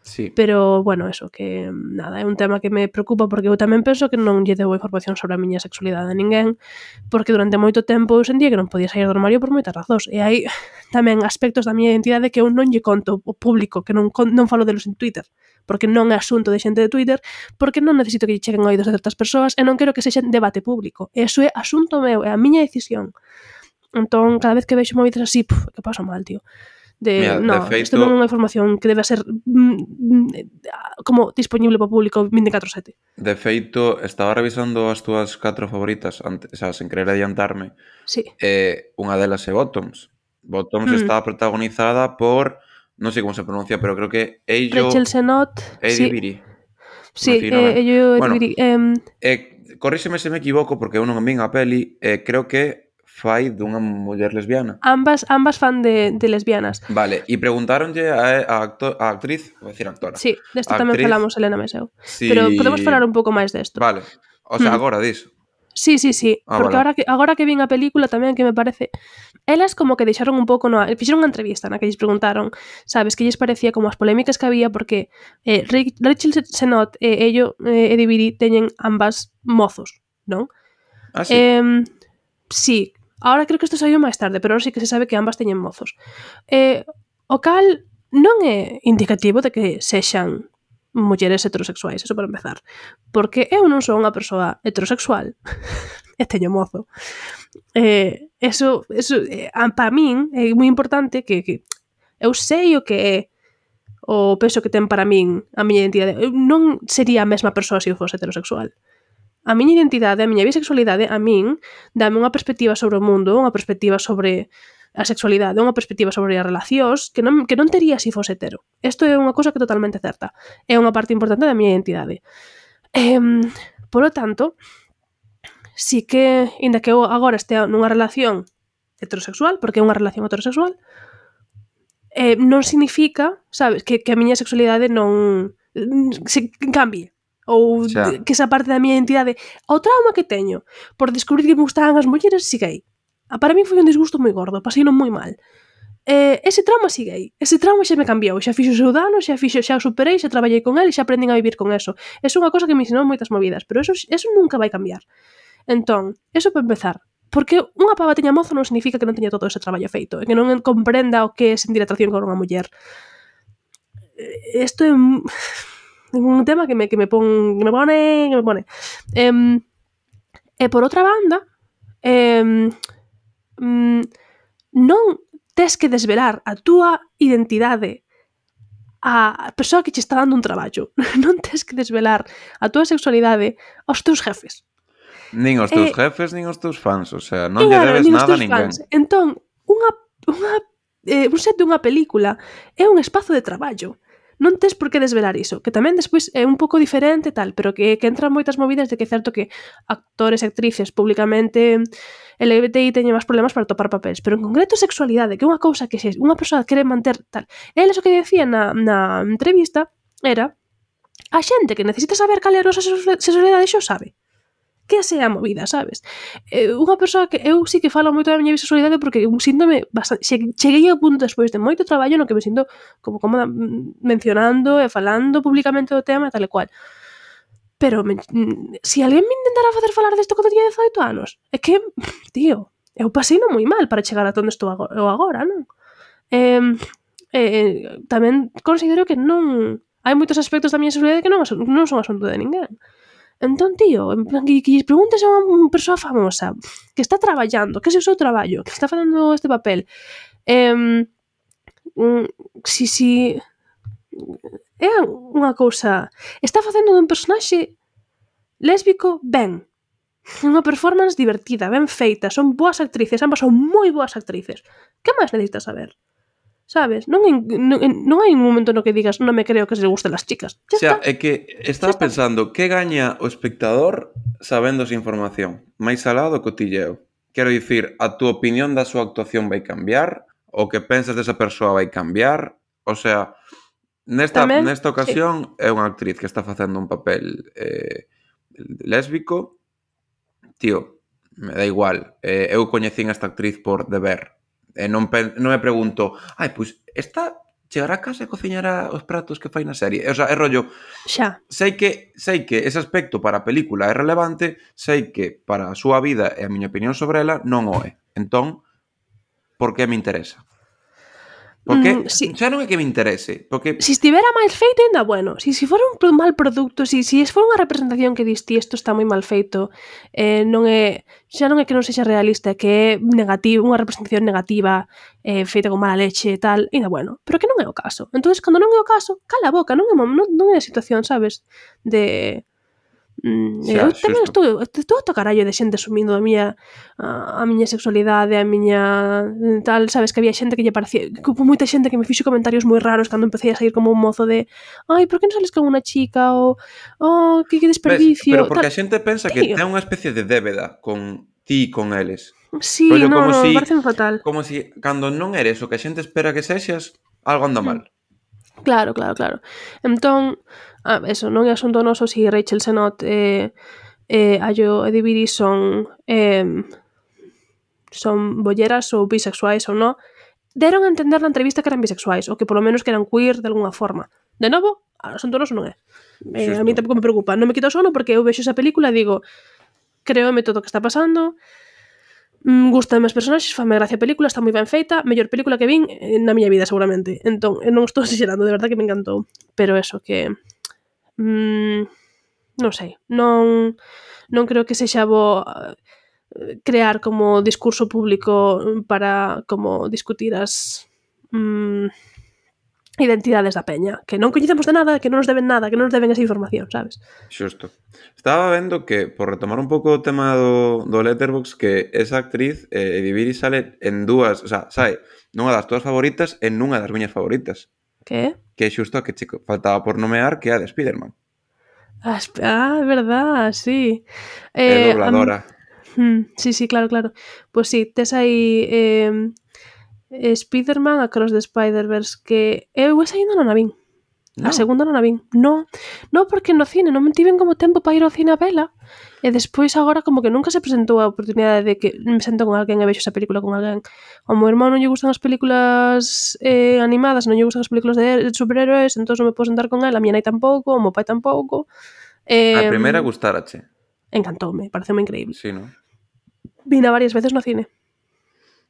[SPEAKER 3] Sí.
[SPEAKER 2] Pero, bueno, eso, que nada, é un tema que me preocupa porque eu tamén penso que non lle debo información sobre a miña sexualidade a ninguén, porque durante moito tempo eu sentía que non podía sair do armario por moitas razóns, e hai tamén aspectos da miña identidade que eu non lle conto ao público, que non falo delos en Twitter, porque non é asunto de xente de Twitter, porque non necesito que lle cheguen oídos de certas persoas e non quero que sexa debate público. Eso é asunto meu, é a miña decisión. Entón, cada vez que vexo movidas así, que paso mal, tío.
[SPEAKER 3] De feito,
[SPEAKER 2] isto non é unha información que debe ser como disponible para o público 24/7.
[SPEAKER 3] De feito, estaba revisando as túas 4 favoritas antes, o sea, sen querer adiantarme.
[SPEAKER 2] Sí.
[SPEAKER 3] Unha delas é Bottoms. Bottoms está protagonizada por, non sei como se pronuncia, pero creo que
[SPEAKER 2] Rachel Sennott,
[SPEAKER 3] Eddie Beatty.
[SPEAKER 2] Sí, Eddie Beatty.
[SPEAKER 3] Corríxeme se me equivoco, porque eu non vin a peli, creo que fai dunha muller lesbiana.
[SPEAKER 2] Ambas fan de lesbianas.
[SPEAKER 3] Vale, e preguntáronlle a actriz, vou dicir actora.
[SPEAKER 2] Sí, desto tamén falamos Helena Meseu. Sí. Pero podemos falar un pouco máis desto.
[SPEAKER 3] Vale, o sea, agora diso.
[SPEAKER 2] Sí, porque vale. agora que vin a película tamén que me parece... Elas como que deixaron un pouco... Fixeron unha entrevista na que lles preguntaron, sabes, que lles parecía como as polémicas que había porque Rachel Sennott e Eddie Beatty teñen ambas mozos, non?
[SPEAKER 3] Ah, sí?
[SPEAKER 2] Sí, Ahora creo que isto saiu máis tarde, pero ahora sí que se sabe que ambas teñen mozos. O cal non é indicativo de que sexan mulleres heterosexuais, eso para empezar. Porque eu non sou unha persoa heterosexual e teño mozo. Eso para min é moi importante que eu sei o que é o peso que ten para min a miña identidade. Eu non sería a mesma persoa se eu fose heterosexual. A miña identidade, a miña bisexualidade, a min, dame unha perspectiva sobre o mundo, unha perspectiva sobre a sexualidade, unha perspectiva sobre as relacións que non tería se fose hetero. Isto é unha cousa que é totalmente certa. É unha parte importante da miña identidade. Polo tanto, si que, inda que eu agora estea nunha relación heterosexual, porque é unha relación heterosexual, non significa, sabes, que a miña sexualidade non se cambie ou que esa parte da miña identidade. O trauma que teño por descubrir que me gustaban as mulleres sigue aí. Para mí foi un disgusto moi gordo, paseino moi mal. Ese trauma sigue aí. Ese trauma xa me cambiou, xa fixo o seu dano, xa o superei, xa traballei con ele, xa aprendín a vivir con eso. É unha cosa que me ensinou moitas movidas, pero eso nunca vai cambiar. Entón, eso para empezar. Porque unha pava teña mozo non significa que non teña todo ese traballo feito e que non comprenda o que é sentir atracción con unha muller. Isto é un tema que me pone. E por outra banda, non tes que desvelar a túa identidade a persoa que che está dando un traballo. Non tes que desvelar a túa sexualidade aos teus jefes.
[SPEAKER 3] Nin os teus jefes, nin os teus fans, o sea, non lle debes nada a ninguén.
[SPEAKER 2] Entón, un set de unha película é un espazo de traballo. Non tes por que desvelar iso, que tamén despois é un pouco diferente tal, pero que entran moitas movidas de que é certo que actores e actrices públicamente LGBTI teñen máis problemas para topar papéis, pero en concreto sexualidade, que é unha cousa que se unha persoa quere manter tal. Eles o que decían na entrevista era a xente que necesita saber cal é a nosa sexualidade xo sabe. Que sea a movida, sabes? Unha persoa que eu sí que falo moito da miña bisexualidade porque síntome bastante, cheguei ao punto despois de moito traballo no que me sinto como cómoda mencionando e falando públicamente do tema e tal e cual. Pero si alguén me intentara facer falar desto cando tiña 18 anos, é que, tío, eu paseino moi mal para chegar a onde estou agora, non? Tamén considero que non hai moitos aspectos da miña sexualidade que non son asunto de ninguén. Entón, tío, en plan, que lles preguntes a unha persoa famosa que está traballando, que é o seu traballo, que está facendo este papel, si é unha cousa, está facendo dun personaxe lésbico ben, unha performance divertida, ben feita, son boas actrices, ambas son moi boas actrices. Que máis necesitas saber? Sabes? Non hai un momento no que digas non me creo que se le gusten las chicas.
[SPEAKER 3] O sea, é que estaba pensando que gaña o espectador sabendo esa información máis alá do cotilleo. Quero dicir, a túa opinión da súa actuación vai cambiar, o que pensas desa persoa vai cambiar. O sea, nesta ocasión é unha actriz que está facendo un papel lésbico. Tío, me dá igual. Eu coñecín esta actriz por deber. Non me pregunto, pois esta chegará a casa e cociñará os pratos que fai na serie. O sea, é rollo,
[SPEAKER 2] xa.
[SPEAKER 3] Sei que ese aspecto para a película é relevante, sei que para a súa vida e a miña opinión sobre ela non o é. Entón, por que me interesa? Porque xa non é que me interese, porque
[SPEAKER 2] si estivera máis feito ainda bueno, si fora un mal produto, si fora unha representación que diste isto está moi mal feito, xa non é que non sexa realista, que é negativo, unha representación negativa, feita con mala leche e tal, ainda bueno, pero que non é o caso. Entonces, cando non é o caso, cala a boca, non é a situación, sabes, de eu tamén estou a carallo de xente asumindo a miña sexualidade, a miña tal, sabes, que había xente que lle parecía, que houve moita xente que me fixo comentarios moi raros cando empecé a sair como un mozo de por que non sales con unha chica, ou que desperdicio.
[SPEAKER 3] Pero porque a xente pensa que ten unha especie de débeda con ti e con eles.
[SPEAKER 2] Sí, non, parece fatal.
[SPEAKER 3] Como si cando non eres o que a xente espera que sexas, algo anda mal.
[SPEAKER 2] Claro. Entón, eso, non é asunto noso se Rachel Sennott Ayo e Diviri son bolleras ou bisexuais ou non. Deron a entender na entrevista que eran bisexuais, ou que polo menos que eran queer de alguna forma. De novo, asunto noso non é. A mí tampouco me preocupa. Non me quito o sono porque eu vexo esa película e digo, créome todo o que está pasando, Gústame os personaxes, fame gracia a película, está moi ben feita, mellor película que vin na miña vida seguramente. Entón, non estou exagerando, de verdad que me encantou. Pero eso, que non sei, non creo que sexa bo crear como discurso público para como discutir as identidades da peña, que non coñecemos de nada, que non nos deben nada, que non nos deben esa información, sabes?
[SPEAKER 3] Xusto. Estaba vendo que, por retomar un pouco o tema do Letterboxd, que esa actriz, Edibiri, sale en dúas, o sea, sae nunha das túas favoritas e nunha das miñas favoritas.
[SPEAKER 2] Que?
[SPEAKER 3] Que é xusto a que chico faltaba por nomear, que é a de Spiderman.
[SPEAKER 2] É verdad, sí.
[SPEAKER 3] É dobladora.
[SPEAKER 2] Sí, claro. Pois sí, tes aí Spiderman Across the Spider-Verse, que eu esa ainda non a vin. A segunda non a vin. No, porque no cine non me tiven como tempo para ir ao cine a vela. E despois agora como que nunca se presentou a oportunidade de que me sento con alguén e vexo esa película con alguén. Ao meu irmão non lle gustan as películas animadas, non lle gustan as películas de superhéroes, entón non me podo sentar con ela, a miña nai tampouco, o meu pai tampouco.
[SPEAKER 3] A primeira gustarache.
[SPEAKER 2] Encantoume, pareceume increíble.
[SPEAKER 3] Sí, non?
[SPEAKER 2] Vina varias veces no cine.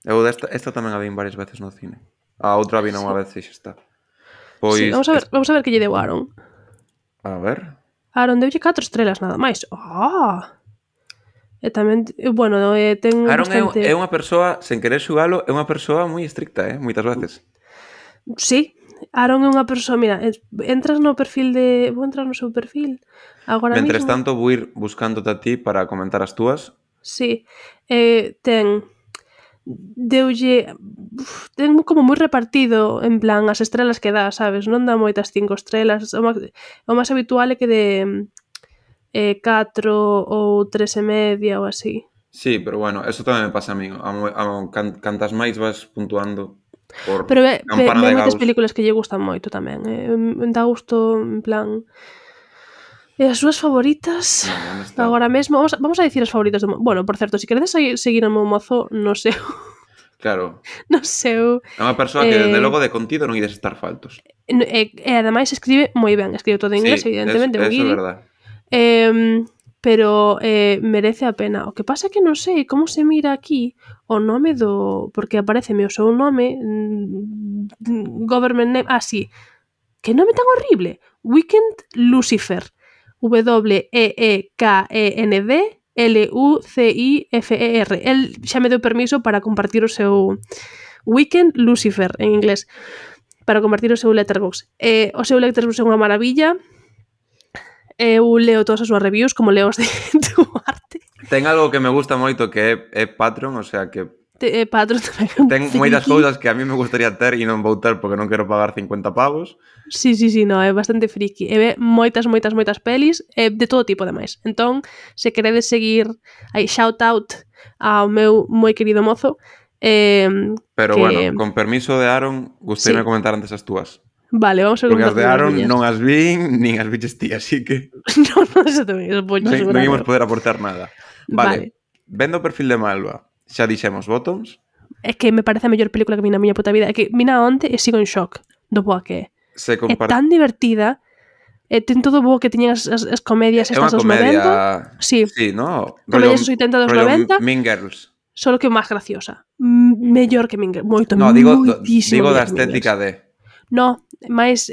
[SPEAKER 3] Eu esta tamén a vin varias veces no cine. A outra a vin unha vez e xa está. Pois
[SPEAKER 2] Sí, vamos a ver que lle deu a Aaron.
[SPEAKER 3] A ver.
[SPEAKER 2] Aaron deulle 4 estrelas nada máis. E tamén, bueno, ten
[SPEAKER 3] Aaron
[SPEAKER 2] bastante...
[SPEAKER 3] é unha persoa, sen querer xugalo, é unha persoa moi estricta, moitas veces.
[SPEAKER 2] Sí, Aaron é unha persoa, mira, entras no perfil de... Vou entrar no seu perfil agora
[SPEAKER 3] Mentres
[SPEAKER 2] mismo.
[SPEAKER 3] tanto, vou ir buscándote a ti para comentar as túas.
[SPEAKER 2] Sí, ten como moi repartido en plan as estrelas que dá, sabes? Non dá moitas 5 estrelas, o máis habitual é que de 4 ou 3,5 ou así.
[SPEAKER 3] Sí, pero bueno, eso tamén me pasa a mí. Cantas máis vas puntuando por
[SPEAKER 2] pero
[SPEAKER 3] campana de
[SPEAKER 2] moitas
[SPEAKER 3] Gauss.
[SPEAKER 2] películas que lle gustan moito tamén. Dá gusto, en plan... E as súas favoritas agora mesmo, vamos a dicir as favoritas do... Bueno, por certo, se queredes seguir o meu mozo no seu...
[SPEAKER 3] Claro.
[SPEAKER 2] No seu...
[SPEAKER 3] É unha persoa que, desde logo, de contido non ides estar faltos.
[SPEAKER 2] E ademais escribe moi ben, escribe todo en inglés, evidentemente.
[SPEAKER 3] Eso é verdad.
[SPEAKER 2] Pero merece a pena. O que pasa é que non sei como se mira aquí o nome do... Porque apareceme o seu nome, government name... sí. Que nome tan horrible. Weekend Lucifer. WEEKEND LUCIFER. El xa me deu permiso para compartir o seu Weekend Lucifer en inglés, para compartir o seu Letterboxd. O seu Letterboxd é unha maravilla. Eu leo todas as súas reviews como leo os de Duarte.
[SPEAKER 3] Ten algo que me gusta moito que é Patreon, o sea que
[SPEAKER 2] Patreon tamén.
[SPEAKER 3] Ten moitas cousas que a mí me gustaría ter e non vou ter porque non quero pagar 50 pavos.
[SPEAKER 2] Sí, no, é bastante friki. E ve moitas pelis de todo tipo, ademais. Entón, se queredes seguir aí, shout out ao meu moi querido mozo.
[SPEAKER 3] Pero bueno, con permiso de Aaron, gustaríame comentar antes as túas.
[SPEAKER 2] Vale, vamos a
[SPEAKER 3] comentar. Porque as de Aaron
[SPEAKER 2] miñas.
[SPEAKER 3] non as vin, nin as biches ti, así que...
[SPEAKER 2] non, eso tamén, eso poño
[SPEAKER 3] non imos poder aportar nada.
[SPEAKER 2] Vale.
[SPEAKER 3] Vendo o perfil de Malva, xa dixemos Bottoms.
[SPEAKER 2] É que me parece a mellor película que vi na miña puta vida. É que vina onte e sigo en shock do boa que é. É tan divertida. Ten todo o bo que tiñan as comedias estas dos 90.
[SPEAKER 3] Sí, no?
[SPEAKER 2] Comedias dos 80 dos 90.
[SPEAKER 3] Mean Girls.
[SPEAKER 2] Solo que máis graciosa. Mellor que Mean Girls. Moito,
[SPEAKER 3] digo
[SPEAKER 2] moitísimo
[SPEAKER 3] da estética de...
[SPEAKER 2] No, máis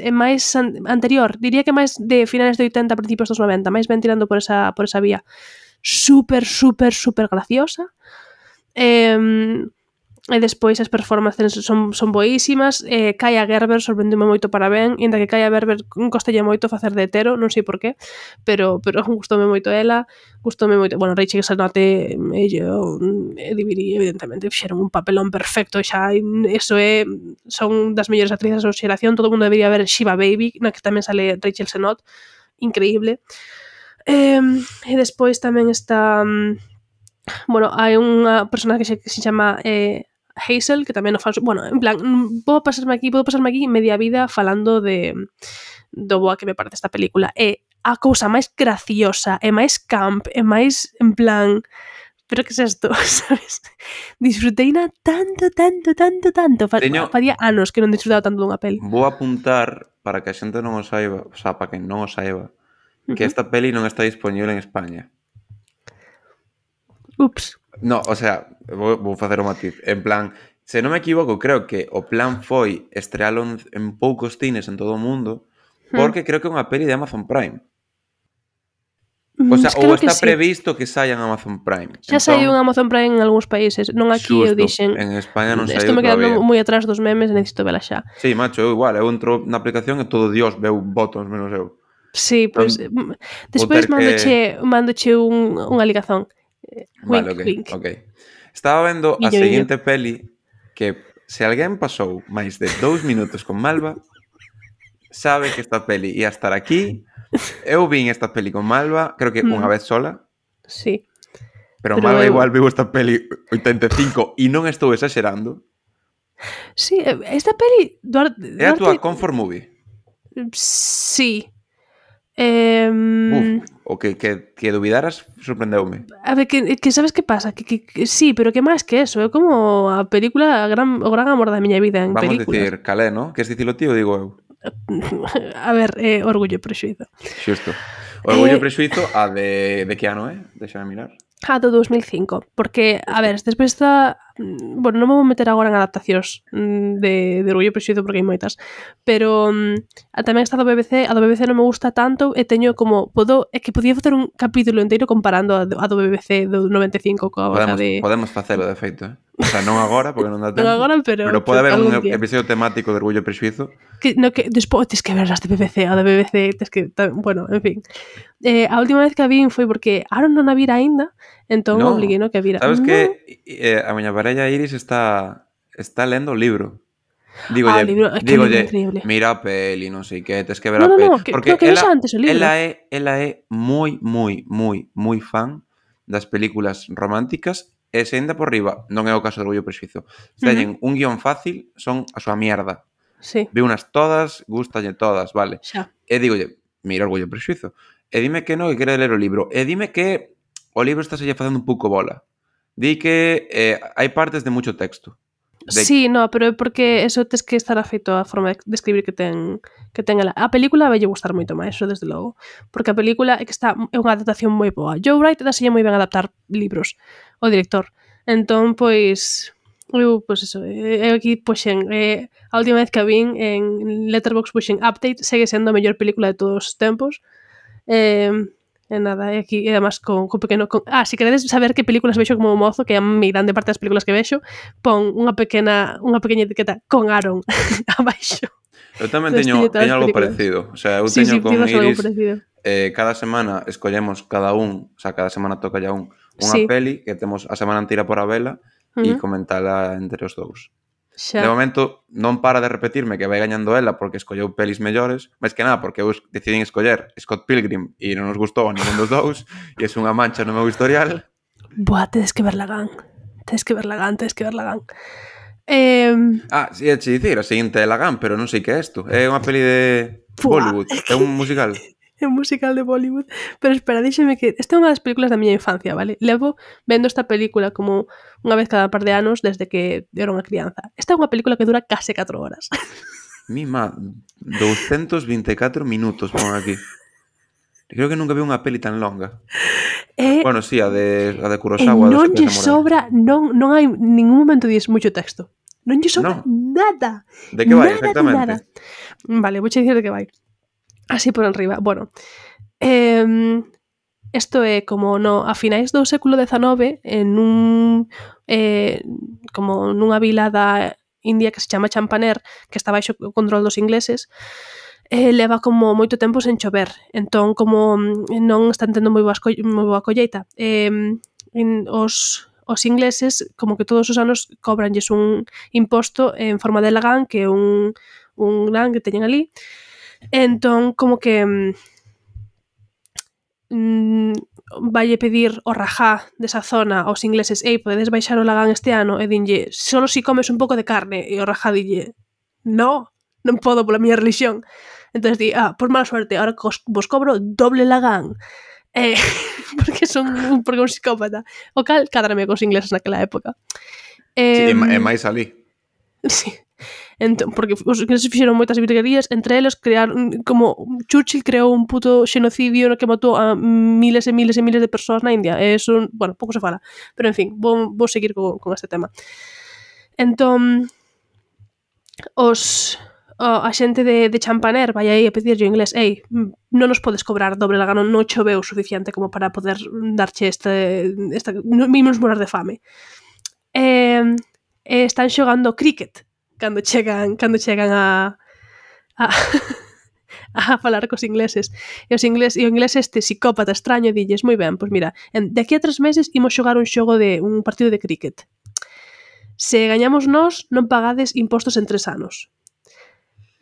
[SPEAKER 2] anterior. Diría que máis de finales de 80, principios dos 90. Máis ben tirando por esa vía. Super graciosa. E despois as performances son boísimas. Kaia Gerber sorprendeume moito para ben, inda que Kaia Gerber costalle moito facer de hetero, non sei por qué, pero gustoume moito ela, gustoume moito, bueno, Rachel Sennott e Edibiri evidentemente fixeron un papelón perfecto, xa eso son das mellores actrices da súa xeración, todo o mundo debería ver Shiva Baby, na que tamén sale Rachel Sennott, increíble. E despois tamén está bueno, hai unha personaxe que se chama Hazel, que tamén o fan... Bueno, en plan, podo pasarme aquí media vida falando do boa que me parece esta película. É a cousa máis graciosa, e máis camp, e máis, en plan... Pero que é isto, sabes? Disfruteina tanto. Faría anos que non disfrutaba tanto dunha peli.
[SPEAKER 3] Vou apuntar, para que a xente non o saiba, o sea, para que non o saiba, que esta peli non está disponible en España.
[SPEAKER 2] Ups.
[SPEAKER 3] No, o sea, vou facer o matiz. En plan, se non me equivoco, creo que o plan foi estrealo en poucos cines en todo o mundo, porque creo que é unha peli de Amazon Prime. O sea, ou
[SPEAKER 2] Creo que
[SPEAKER 3] está
[SPEAKER 2] sí.
[SPEAKER 3] previsto que saia en Amazon Prime.
[SPEAKER 2] Xa saiu en Amazon Prime en algúns países, non aquí eu
[SPEAKER 3] Xusto,
[SPEAKER 2] dixen.
[SPEAKER 3] en España non
[SPEAKER 2] Estou
[SPEAKER 3] saiu
[SPEAKER 2] me quedando
[SPEAKER 3] todavía.
[SPEAKER 2] moi atrás dos memes e necesito vela xa.
[SPEAKER 3] Sí, macho, eu igual, eu entro na aplicación e todo Dios veu botons menos eu.
[SPEAKER 2] Sí, pois despois
[SPEAKER 3] ter
[SPEAKER 2] mandoche unha ligazón. Wink,
[SPEAKER 3] Vale, ok,
[SPEAKER 2] wink.
[SPEAKER 3] ok. Estaba vendo a
[SPEAKER 2] Guiño,
[SPEAKER 3] seguinte peli que se alguén pasou máis de 2 minutos con Malva sabe que esta peli ia estar aquí. Eu vin esta peli con Malva, creo que unha vez sola,
[SPEAKER 2] Sí.
[SPEAKER 3] pero Malva igual viu esta peli 85 e non estou exagerando.
[SPEAKER 2] Sí, esta peli
[SPEAKER 3] É a túa comfort movie.
[SPEAKER 2] Sí.
[SPEAKER 3] O que dubidaras sorprendeume.
[SPEAKER 2] A ver, que sabes que pasa? Que sí, pero que máis que eso, é como a película o gran amor da miña vida en
[SPEAKER 3] Vamos
[SPEAKER 2] películas.
[SPEAKER 3] dicir calé, ¿no? Que es dicilo tío, digo eu.
[SPEAKER 2] A ver, Orgullo e Prexuízo.
[SPEAKER 3] Xusto. Orgullo e Prexuízo a de que ano é? Deixame mirar.
[SPEAKER 2] A do 2005, porque, a ver, despois está... Bueno, non me vou meter agora en adaptacións de Orgullo e Prexuízo porque hai moitas, pero tamén está a do BBC non me gusta tanto e teño como... É que podía facer un capítulo inteiro comparando a do BBC do 95 coa de...
[SPEAKER 3] Podemos facelo, de feito, eh? O sea, non agora, porque non dá tempo.
[SPEAKER 2] Non agora, pero
[SPEAKER 3] pode haber un
[SPEAKER 2] día.
[SPEAKER 3] episodio temático de Orgullo e Prexuízo.
[SPEAKER 2] Que despois tes que ver as de BBC, a de BBC tes que... Bueno, en fin. A última vez que a vin foi porque Aaron non a vira aínda, entón obliguei no que a vira.
[SPEAKER 3] Sabes que a miña parella Iris está lendo o libro. Dígolle, mira a peli, non sei que, tes que ver a peli. Porque ela é moi fan das películas románticas e se ainda por riba, non é o caso de Orgullo e Prexuízo. Teñen un guión fácil, son a súa mierda.
[SPEAKER 2] Sí.
[SPEAKER 3] Vi unas todas, gustalle todas, vale.
[SPEAKER 2] Xa.
[SPEAKER 3] E dígolle, mira Orgullo e Prexuízo. E dime que non, que quere ler o libro. E dime que o libro está se facendo un pouco bola. Di que hai partes de mucho texto.
[SPEAKER 2] Sí, no, pero é porque eso tes que estar afeito á forma de escribir que ten ela. A película vai lle gustar moito máis, eso desde logo. Porque a película é unha adaptación moi boa. Joe Wright daselle moi ben adaptar libros, o director. Entón, pois... eso, aquí puxen a última vez que a vin en Letterboxd puxen Update, segue sendo a mellor película de todos os tempos. E nada, e aquí, e además con pequeno... se queredes saber que películas vexo como mozo, que é a mi grande parte das películas que vexo, pon unha pequena etiqueta con Aaron abaixo.
[SPEAKER 3] Eu tamén teño algo parecido. O sea, eu teño con Iris... cada semana escollemos cada un, o sea, cada semana toca ya unha peli que temos a semana inteira por a vela e comentala entre os dous. De momento non para de repetirme que vai gañando ela porque escolleu pelis mellores, máis que nada porque eu decidín escoller Scott Pilgrim e non nos gustou a ningún dos dous e é unha mancha no meu historial.
[SPEAKER 2] Buah, tedes que ver Lagan. Sí,
[SPEAKER 3] é che dicir, a seguinte é Lagan, pero non sei que é isto. É unha peli de Bollywood, é un musical.
[SPEAKER 2] É un musical de Bollywood. Pero espera, díxeme que esta é unha das películas da miña infancia, vale? Levo vendo esta película como unha vez cada par de anos desde que era unha crianza. Esta é unha película que dura case 4 horas.
[SPEAKER 3] Mima, 224 minutos pon aquí. Creo que nunca vi unha peli tan longa. Bueno, sí, a de Kurosawa.
[SPEAKER 2] Non lle sobra, non hai ningún momento dis moito texto. Non lle sobra nada.
[SPEAKER 3] De que vai, exactamente?
[SPEAKER 2] Vale, vou che dicir de que vai. Así por enriba. Bueno, isto é como a finais do século XIX como nunha vila da India que se chama Champaner, que está baixo o control dos ingleses, leva como moito tempo sen chover. Entón, como non están tendo moi boa colleita, os ingleses, como que todos os anos cobranlles un imposto en forma de lagán, que é un gran que teñen ali. Entón, como que valle pedir o rajá desa zona aos ingleses: podedes baixar o lagán este ano? E dinlle: solo si comes un pouco de carne. E o rajá dille: non podo pola miña religión. Entón di: por mala suerte, ahora vos cobro doble lagán. Porque é un psicópata. O cal, cádrame cos ingleses naquela época.
[SPEAKER 3] Sí, e máis ali.
[SPEAKER 2] Sí. Entón, porque os ingleses fixeron moitas virguerías, entre eles crearon, como Churchill creou un puto xenocidio no que matou a miles e miles e miles de persoas na India. E eso, bueno, pouco se fala. Pero, en fin, vou seguir con este tema. Entón, a xente de Champaner vai aí a pedirlle en inglés: ei, non nos podes cobrar doble la gana, non choveu o suficiente como para poder darche mínimos morar de fame. Están xogando cricket cando chegan a falar cos ingleses. E o inglés este psicópata extraño dilles: moi ben, pois mira, de aquí a 3 meses imos xogar un partido de cricket. Se gañamos nós, non pagades impostos en 3 anos.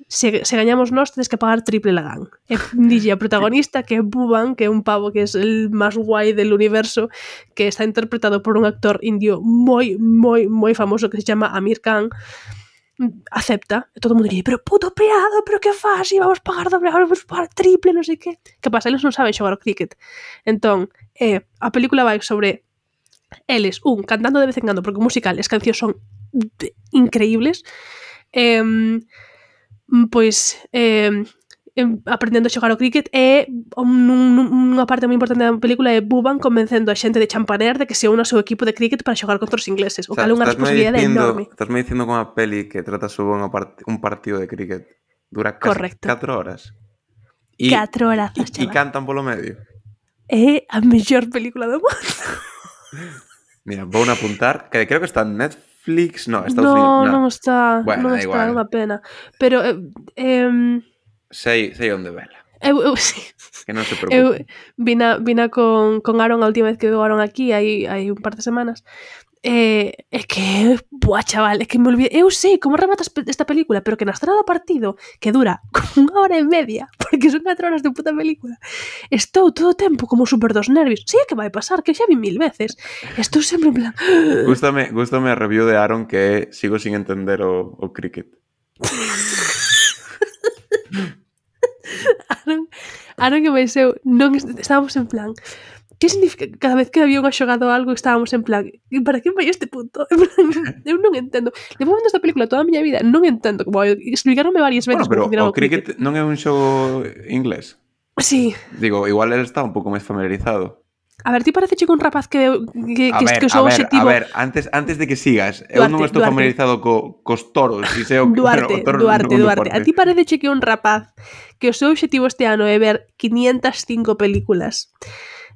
[SPEAKER 2] Se gañamos nós, tedes que pagar triple lagán. E dille a protagonista, que é Bhuvan, que é un pavo que é el máis guai del universo, que está interpretado por un actor indio moi, moi, moi famoso que se chama Amir Khan, acepta. E todo o mundo dice: pero puto peado, pero que faz? E vamos pagar doble, vamos pagar triple, non sei que. Que pasa? Eles non saben xogar o cricket. Entón, a película vai sobre eles, cantando de vez en cando, porque o musical, as cancións son increíbles, pois aprendendo a xogar o cricket, e unha parte moi importante da película é Bhuvan convencendo a xente de Champaner de que se une ao seu equipo de cricket para xogar contra os ingleses, o cal é unha responsabilidade enorme.
[SPEAKER 3] Estás me dicindo que unha peli que trata sobre un partido de cricket dura casi 4 horas.
[SPEAKER 2] 4 horas,
[SPEAKER 3] e cantan polo medio.
[SPEAKER 2] É a mellor película do mundo.
[SPEAKER 3] Mira, vou a apuntar, que creo que está en Netflix, no, Estados Unidos.
[SPEAKER 2] Non está,
[SPEAKER 3] bueno,
[SPEAKER 2] non está, é unha pena. Pero
[SPEAKER 3] sei onde vela.
[SPEAKER 2] Eu sí.
[SPEAKER 3] Que non se preocupe.
[SPEAKER 2] Vina con Aaron a última vez que veo Aaron aquí, hai un par de semanas. É que, buah, chaval, é que me olvidei. Eu sei como remata esta película, pero que na estrada do partido, que dura como 1 hora e media, porque son 4 horas de puta película, estou todo o tempo como super dos nervios. Sei que vai pasar, que xa vi 1000 veces. Estou sempre en plan...
[SPEAKER 3] Gústame a review de Aaron, que sigo sin entender o cricket.
[SPEAKER 2] Aaron que máis eu non estábamos en plan, que significa que cada vez que había unha xogado algo estábamos en plan, para que vai este punto? Eu non entendo. Levo vendo esta película toda a miña vida, non entendo, como explicaronme varias veces.
[SPEAKER 3] Bueno, pero o cricket non é un xogo inglés?
[SPEAKER 2] Sí.
[SPEAKER 3] Digo, igual ele está un pouco máis familiarizado.
[SPEAKER 2] A ver, ti parece que un rapaz que o seu objetivo...
[SPEAKER 3] A ver, antes de que sigas, eu non estou familiarizado cos toros.
[SPEAKER 2] Duarte. A ti parece que un rapaz que o seu objetivo este ano é ver 505 películas,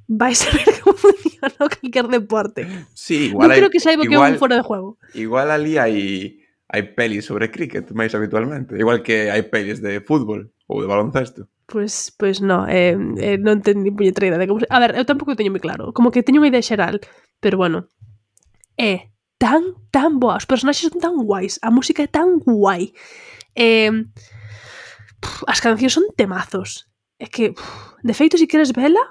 [SPEAKER 2] vais a ver como funciona calquer deporte.
[SPEAKER 3] Sí, igual
[SPEAKER 2] non creo que saiba que é un fora de juego.
[SPEAKER 3] Igual ali hai pelis sobre cricket máis habitualmente, igual que hai pelis de fútbol ou de baloncesto.
[SPEAKER 2] Pois non, non ten ni puñetera idea de como... A ver, eu tampouco teño moi claro, como que teño unha idea xeral, pero bueno, é tan boa, os personaxes son tan guais, a música é tan guai, as cancións son temazos, é que, de feito, se queres vela...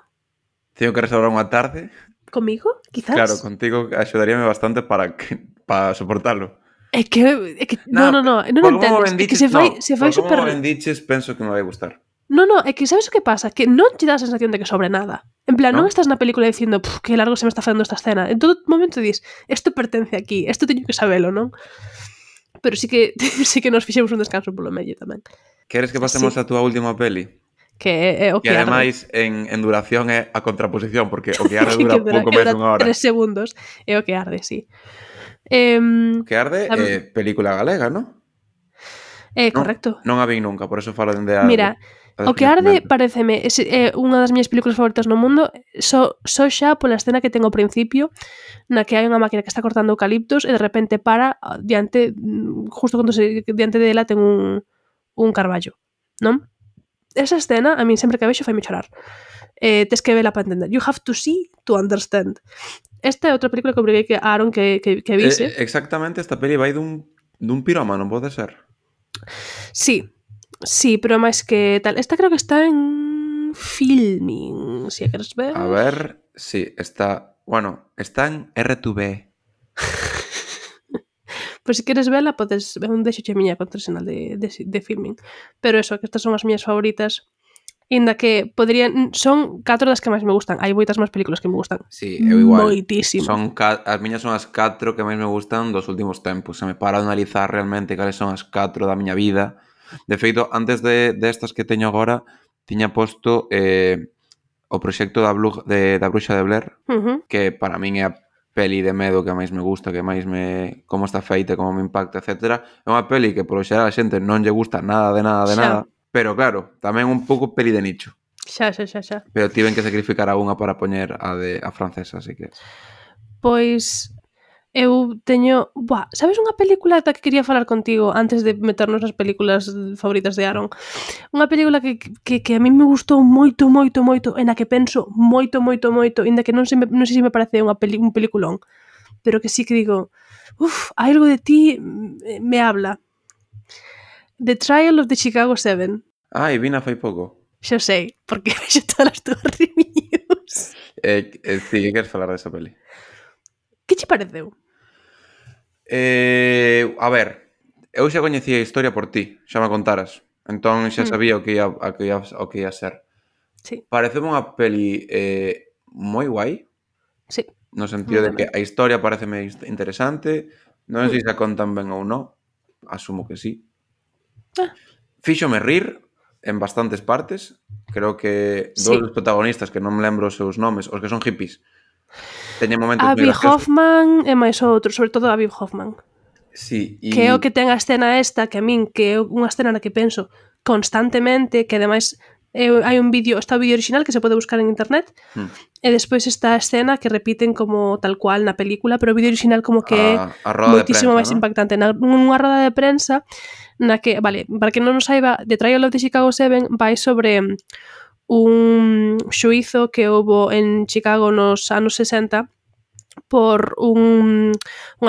[SPEAKER 3] Teño que reservar unha tarde.
[SPEAKER 2] Comigo, quizás?
[SPEAKER 3] Claro, contigo axudaríame bastante para soportalo.
[SPEAKER 2] É que non entendes, é que se fai super...
[SPEAKER 3] Como bendiches, penso que me vai gustar.
[SPEAKER 2] Non, é que sabes o que pasa? Que non te dá a sensación de que sobre nada. En plan, non estás na película dicindo que largo se me está facendo esta escena. En todo momento dis, isto pertence aquí, isto teño que sabelo, non? Pero sí que nos fixemos un descanso polo medio tamén.
[SPEAKER 3] Queres que pasemos a túa última peli?
[SPEAKER 2] Que é o que arde.
[SPEAKER 3] E ademais, en duración é a contraposición, porque o que arde dura pouco máis dunha hora.
[SPEAKER 2] 3 segundos é o que arde, sí.
[SPEAKER 3] O que arde é película galega, non?
[SPEAKER 2] Correcto.
[SPEAKER 3] Non a vi nunca, por eso falo dende a...
[SPEAKER 2] Mira, o que arde pareceme é unha das miñas películas favoritas no mundo, só xa pola escena que ten ao principio, na que hai unha máquina que está cortando eucaliptos e de repente para justo cando diante dela ten un carballo, non? Esa escena, a min sempre que a vexo faime chorar. Tes que vela para entender. You have to see to understand. Esta é outra película que obriguei a Aaron que vise.
[SPEAKER 3] Exactamente, esta peli vai dun pirómano, pode ser?
[SPEAKER 2] Sí, pero máis que tal. Esta creo que está en Filming, se queres ver.
[SPEAKER 3] A ver, sí, está... Bueno, está en R2B.
[SPEAKER 2] Pois se queres vela, podes ver un deixo che miña contrasinal de Filming. Pero eso, que estas son as miñas favoritas. Inda que poderían... Son 4 das que máis me gustan. Hai moitas máis películas que me gustan.
[SPEAKER 3] Sí, eu igual.
[SPEAKER 2] Moitísimo.
[SPEAKER 3] As miñas son as 4 que máis me gustan dos últimos tempos. Se me para de analizar realmente cales son as 4 da miña vida. De feito, antes destas que teño agora, tiña posto o proxecto da Bruxa de Blair, que para min é a peli de medo que máis me gusta, que máis me... como está feita, como me impacta, etc. É unha peli que, polo xeral, a xente non lle gusta nada de nada. Pero claro, tamén un pouco peli de nicho.
[SPEAKER 2] Xa.
[SPEAKER 3] Pero tiven que sacrificar a unha para poñer a francesa, así que...
[SPEAKER 2] Pois eu teño... Buah, sabes unha película da que quería falar contigo antes de meternos nas películas favoritas de Aaron? Unha película que a mí me gustou moito, en a que penso moito, inda que non sei se me parece un peliculón, pero que sí que digo, algo de ti me habla. The Trial of the Chicago 7.
[SPEAKER 3] E vina fai pouco.
[SPEAKER 2] Xa sei, porque vexo todas as túas reviews.
[SPEAKER 3] Sí, que queres falar desa peli?
[SPEAKER 2] Que che pareceu?
[SPEAKER 3] A ver, eu xa coñecía a historia por ti, xa me contaras. Entón xa sabía o que ia ser.
[SPEAKER 2] Sí.
[SPEAKER 3] Pareceme unha peli moi guai.
[SPEAKER 2] Sí.
[SPEAKER 3] No sentido de que a historia pareceme interesante. Non sei se a contan ben ou non. Asumo que sí. Fíxome rir en bastantes partes. Creo que dous dos protagonistas, que non me lembro os seus nomes, os que son hippies, teñen momentos moi
[SPEAKER 2] Abby
[SPEAKER 3] graciosos.
[SPEAKER 2] Hoffman e máis outro, sobre todo Abby Hoffman.
[SPEAKER 3] Sí,
[SPEAKER 2] que é o que ten a escena esta, que a min, que é unha escena na que penso constantemente, que ademais hai un vídeo, está o vídeo original que se pode buscar en internet, e despois está a escena que repiten como tal cual na película, pero o vídeo original como que é moitísimo máis impactante. Nunha roda de prensa na que, vale, para que non nos saiba, The Trial of the Chicago 7 vai sobre un xuízo que houbo en Chicago nos anos 60 por unha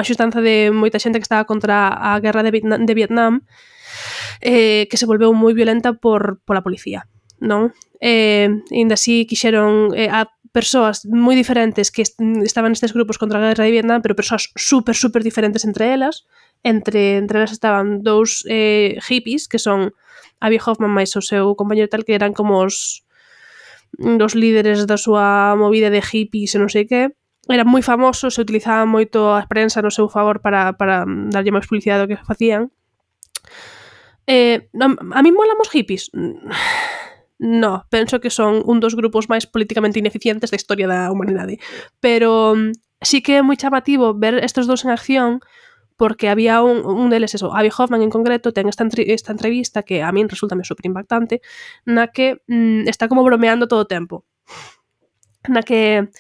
[SPEAKER 2] xustanza de moita xente que estaba contra a guerra de Vietnam, que se volveu moi violenta pola policía, non? Ainda así quixeron a persoas moi diferentes que estaban nestes grupos contra a guerra de Vietnam, pero persoas super diferentes entre elas. Entre elas estaban dous hippies, que son Abby Hoffman máis o seu compañero tal, que eran como os líderes da súa movida de hippies e non sei que. Eran moi famosos, se utilizaban moito a prensa no seu favor para darlle máis publicidade do que facían. A mí molan os hippies? No, penso que son un dos grupos máis políticamente ineficientes da historia da humanidade. Pero sí que é moi chamativo ver estes dous en acción, porque había un deles, eso, Abby Hoffman en concreto, ten esta entrevista que a min resulta super impactante, na que está como bromeando todo o tempo. Na que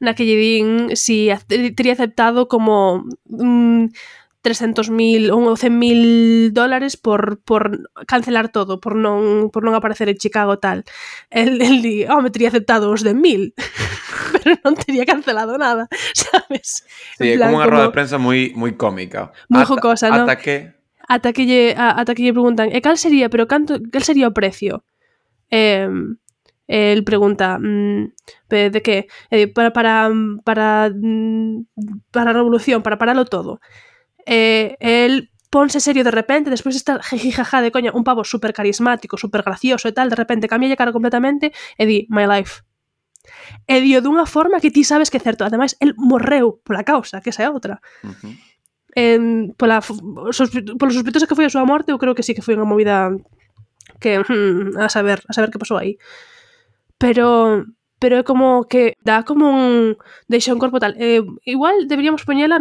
[SPEAKER 2] lle din si teria aceptado como 300.000 ou $100.000 por cancelar todo, por non aparecer en Chicago tal. El di, me teria aceptado os 10.000, pero non teria cancelado nada, sabes?
[SPEAKER 3] Sí, é como unha roda de prensa moi cómica.
[SPEAKER 2] Moi jocosa, non?
[SPEAKER 3] Ata que
[SPEAKER 2] lle preguntan, cal sería o precio? El pregunta, de que? Para a revolución, para paralo todo. El ponse serio de repente, despois está jijijaja de coña, un pavo super carismático, super gracioso e tal, de repente cambia de cara completamente e di, my life. E dio dunha forma que ti sabes que é certo. Ademais, el morreu pola causa, que esa é outra. Polo sospeitosa que foi a súa morte, eu creo que sí que foi unha movida que a saber que pasou aí. Pero é como que dá como deixa un corpo tal. Igual deberíamos poñela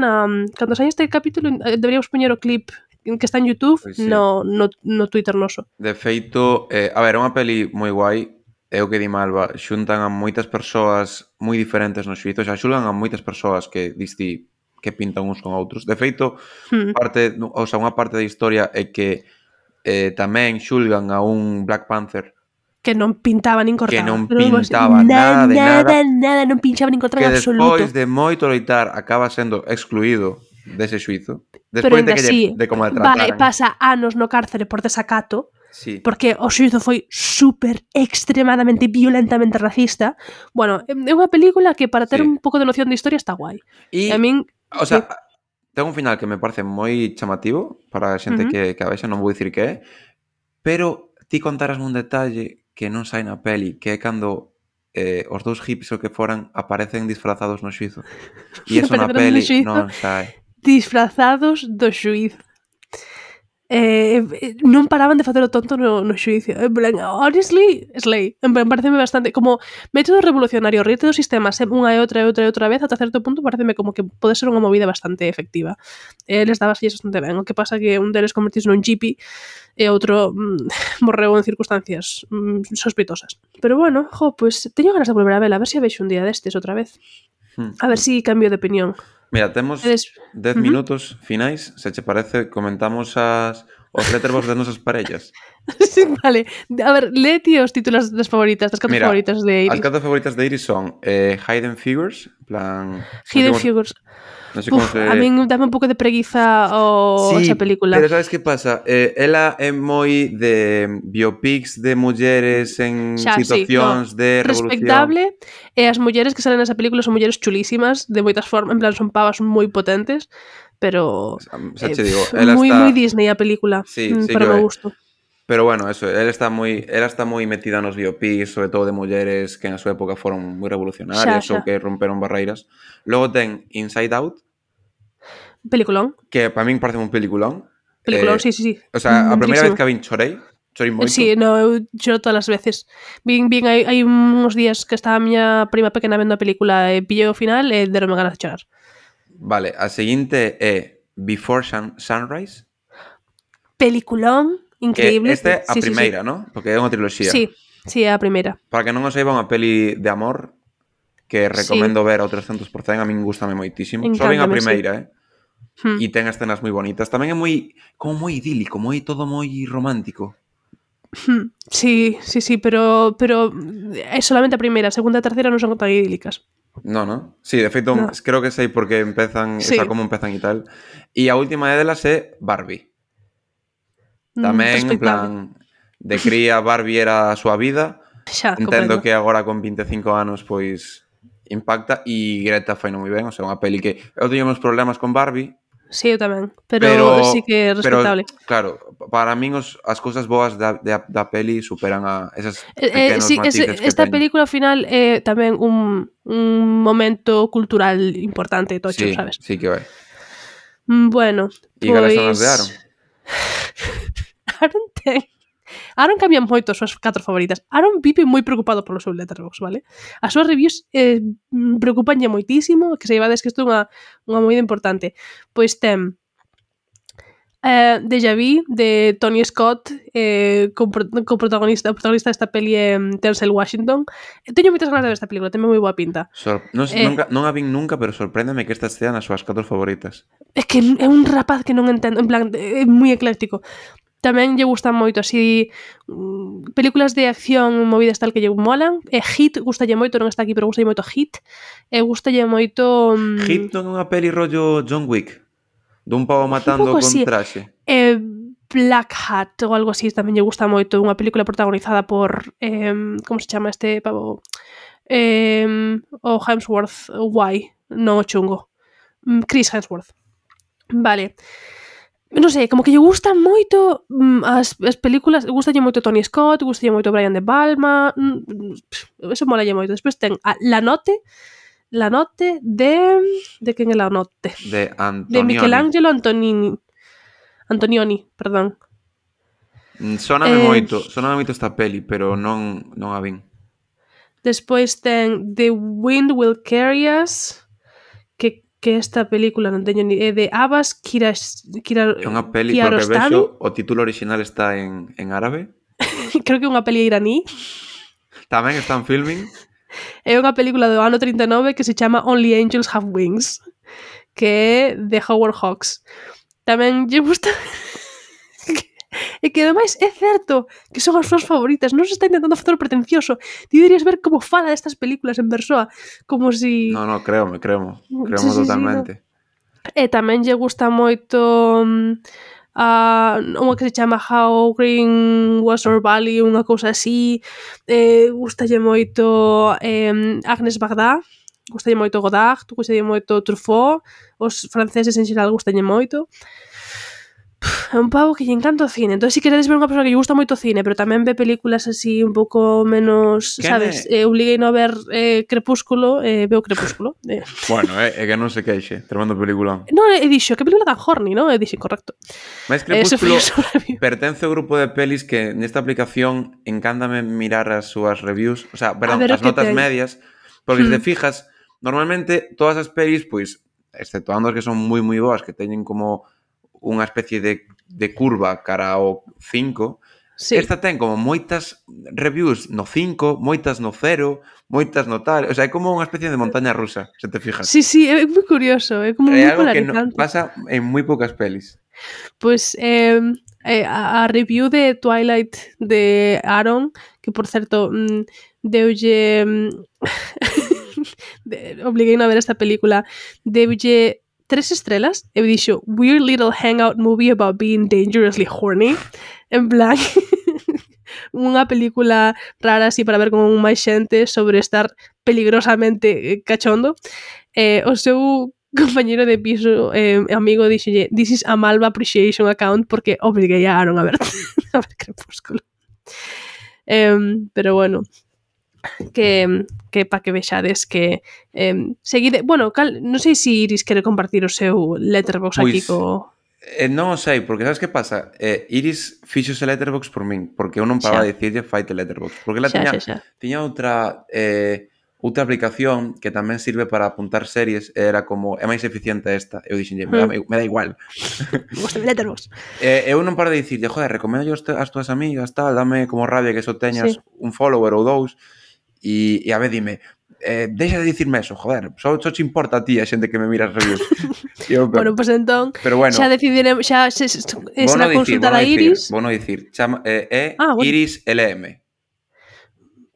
[SPEAKER 2] cando saia este capítulo, deberíamos poñer o clip que está en YouTube, pues sí, no Twitter noso.
[SPEAKER 3] De feito, a ver, é unha peli moi guai. É o que di Malva, xuntan a moitas persoas moi diferentes no xuízo, xa xulgan a moitas persoas que diste que pintan uns con outros. De feito, unha parte da historia é que tamén xulgan a un Black Panther
[SPEAKER 2] que non pintaba nin cortaba.
[SPEAKER 3] Que non pintaba nada de nada.
[SPEAKER 2] Nada, non pinchaba nin cortaba en absoluto.
[SPEAKER 3] Que despois de moito loitar acaba sendo excluído dese xuízo. Despois de como le trataran.
[SPEAKER 2] Pasa anos no cárcere por desacato.
[SPEAKER 3] Sí.
[SPEAKER 2] Porque o xuízo foi super extremadamente violentamente racista. Bueno, é unha película que para ter un pouco de noción de historia está guai.
[SPEAKER 3] E a min, o sea, ten un final que me parece moi chamativo para a xente que a vexe non vou dicir que é, pero ti contaras un detalle que non sai na peli, que é cando os dous hippies o que foran aparecen disfrazados no xuizo. E eso na
[SPEAKER 2] Aparecerán no
[SPEAKER 3] peli
[SPEAKER 2] xuízo
[SPEAKER 3] non sai.
[SPEAKER 2] disfrazados do xuiz. Non paraban de facer o tonto no xuicio. En plan, honestly, slay. En plan, pareceme bastante como método revolucionario, rirte do sistema unha e outra vez ata certo punto, pareceme como que pode ser unha movida bastante efectiva. Les dabas bastante ben. O que pasa que un deles convertise nun hippie e outro morreu en circunstancias sospitosas. Pero bueno, pues teño ganas de volver a vela, a ver se a vexo un día destes outra vez. A ver si cambio de opinión.
[SPEAKER 3] Mira, temos 10 minutos finais. Se che parece, comentamos os letterbox das nosas parellas.
[SPEAKER 2] Sí, vale. A ver, lee ti os títulos das favoritas, das 4 favoritas de Iris.
[SPEAKER 3] As 4 favoritas de Iris son Hidden Figures, en plan...
[SPEAKER 2] Hidden Figures.
[SPEAKER 3] Non sei como se...
[SPEAKER 2] A min dame un pouco de preguiza esa película.
[SPEAKER 3] Pero sabes que pasa? Ela é moi de biopics de mulleres en situacións de revolución.
[SPEAKER 2] Respectable, e as mulleres que salen nesa película son mulleres chulísimas, de moitas formas, en plan son pavas moi potentes, pero moi Disney a película, para o meu gusto.
[SPEAKER 3] Pero bueno, eso, ela está moi metida nos biopics, sobre todo de mulleres que en a súa época foron moi revolucionarias ou que romperon barreiras. Logo ten Inside Out.
[SPEAKER 2] Peliculón.
[SPEAKER 3] Que para min parece un peliculón.
[SPEAKER 2] Peliculón, sí.
[SPEAKER 3] O sea, a primeira vez que a vin chorei moito.
[SPEAKER 2] Sí, no, eu choro todas as veces. Vin hai uns días que estaba a miña prima pequena vendo a película e pillei o final e deronme ganas de chorar.
[SPEAKER 3] Vale, a seguinte é Before Sunrise.
[SPEAKER 2] Peliculón. Increíble.
[SPEAKER 3] Esta é a primeira, ¿no? Porque é unha triloxía.
[SPEAKER 2] Sí, é a primeira.
[SPEAKER 3] Para que non o saiba, unha peli de amor que recomendo ver ao 300%, a min gustame moitísimo. Só ven a primeira, E ten escenas moi bonitas. Tamén é moi idílico, todo moi romántico.
[SPEAKER 2] Sí, pero é solamente a primeira, a segunda e a terceira non son tan idílicas.
[SPEAKER 3] No. Sí, de feito, creo que sei porque empezan, como empezan e tal. E a última delas é Barbie. Tamén, en plan, de cría Barbie era a súa vida. Entendo que agora con 25 anos, pois, impacta. E Greta foi moi ben, o sea, unha peli que... Eu teño meus problemas con Barbie.
[SPEAKER 2] Sí, eu tamén, pero sí que é respetable.
[SPEAKER 3] Pero, claro, para min as cousas boas da peli superan a esas pequenos matices que
[SPEAKER 2] esta
[SPEAKER 3] teñen.
[SPEAKER 2] película ao final é tamén un momento cultural importante, tocho, sabes?
[SPEAKER 3] Sí que vai.
[SPEAKER 2] Bueno,
[SPEAKER 3] E cales son as de Aaron?
[SPEAKER 2] Aaron cambia moito as súas 4 favoritas. Aaron vive moi preocupado polo seu Letterboxd, vale? As súas reviews preocupanlle moitísimo, que se ibades que isto é unha movida importante. Pois ten Déjà Vu, de Tony Scott, co protagonista desta peli é Denzel Washington. Teño moitas ganas de ver esta película, ten moi boa pinta.
[SPEAKER 3] Non a vin nunca, pero sorpréndeme que estas sean as súas 4 favoritas.
[SPEAKER 2] É que é un rapaz que non entendo, en plan, é moi ecléctico. Tamén lle gustan moito así películas de acción movidas tal que lle molan. Hit gustalle moito, non está aquí, pero gustalle moito Hit. Gustalle moito...
[SPEAKER 3] Hit non é unha peli rollo John Wick? Dun pavo matando con traxe?
[SPEAKER 2] Black Hat ou algo así tamén lle gusta moito. Unha película protagonizada por... como se chama este pavo? O Hemsworth. Non o chungo. Chris Hemsworth. Vale. Non sei, como que lle gustan moito as películas, gustalle moito Tony Scott, gustalle moito Brian De Palma, eso molalle moito. Despois ten La Notte de quen é La Notte?
[SPEAKER 3] De Antonioni.
[SPEAKER 2] De Michelangelo Antonioni, perdón.
[SPEAKER 3] Sóname moito esta peli, pero non a vin.
[SPEAKER 2] Despois ten The Wind Will Carry Us, que esta película non teño ni de Abbas Kiarostami.
[SPEAKER 3] É unha peli, porque vexo o título original está en árabe.
[SPEAKER 2] Creo que é unha peli iraní.
[SPEAKER 3] Tamén están filming.
[SPEAKER 2] É unha película do ano 39 que se chama Only Angels Have Wings, que é de Howard Hawks. Tamén lle gusta... E que ademais é certo que son as súas favoritas. Non se está intentando facer o pretencioso. Ti deberías ver como fala destas películas en persoa, como si...
[SPEAKER 3] No, créome totalmente.
[SPEAKER 2] No. E tamén lle gusta moito unha que se chama How Green Was Our Valley, unha cousa así. Gustalle moito Agnes Bagdad, gustalle moito Godard, gustalle moito Truffaut, os franceses en xeral gustalle moito. É un pavo que lle encanta o cine. Entón, se queredes ver unha persoa que lle gusta moito o cine, pero tamén ve películas así un pouco menos,
[SPEAKER 3] Quen
[SPEAKER 2] sabes? Obliguei a ver Crepúsculo, veo Crepúsculo.
[SPEAKER 3] Bueno, é que non se queixe. Tremendo peliculón.
[SPEAKER 2] Non, e dixo, que película tan horny, non? E dixo, correcto.
[SPEAKER 3] Mais
[SPEAKER 2] Ese foi
[SPEAKER 3] Crepúsculo
[SPEAKER 2] o seu review.
[SPEAKER 3] pertence ao grupo de pelis que nesta aplicación encántame mirar as súas reviews, o sea, perdón,
[SPEAKER 2] ver o
[SPEAKER 3] as
[SPEAKER 2] que
[SPEAKER 3] notas
[SPEAKER 2] ten.
[SPEAKER 3] medias, porque se te fijas, normalmente todas as pelis, pois, exceptuando as que son moi boas, que teñen como unha especie de curva cara ao 5,
[SPEAKER 2] Sí.
[SPEAKER 3] esta ten como moitas reviews no 5, moitas no 0, moitas no tal, o sea, é como unha especie de montaña rusa, se te fijas.
[SPEAKER 2] Sí, é moi curioso, é como
[SPEAKER 3] É
[SPEAKER 2] moi
[SPEAKER 3] algo que
[SPEAKER 2] polarizante.
[SPEAKER 3] pasa en moi poucas pelis.
[SPEAKER 2] Pois a review de Twilight de Aaron, que por certo deulle obliguei a ver esta película, deulle 3 estrelas e dixo weird little hangout movie about being dangerously horny, en plan unha película rara así para ver con máis xente sobre estar peligrosamente cachondo. O seu compañero de piso, amigo, dixolle this is a Malva appreciation account porque obliguei a Aaron a ver Crepúsculo. Pero bueno, que pa que vexades que seguide, bueno, non sei se Iris quere compartir o seu Letterboxd aquí co...
[SPEAKER 3] Non o sei, porque sabes que pasa? Iris fixose Letterboxd por min, porque eu non paraba de dicirlle faite Letterboxd, porque ela tiña outra aplicación que tamén sirve para apuntar series, era como, é máis eficiente esta. Eu dixenlle, me da igual.
[SPEAKER 2] Gusta Letterboxd.
[SPEAKER 3] Eu non paro de dicirlle, joder, recomendo as túas amigas, tal, dame como rabia que só teñas un follower ou dous, e a vez dime, deixa de dicirme eso, joder, só te importa a ti a xente que me mira as reviews.
[SPEAKER 2] Bueno, pues entón,
[SPEAKER 3] bueno,
[SPEAKER 2] xa decidiremos, xa será consultar a Iris.
[SPEAKER 3] Vou non dicir, Iris LM.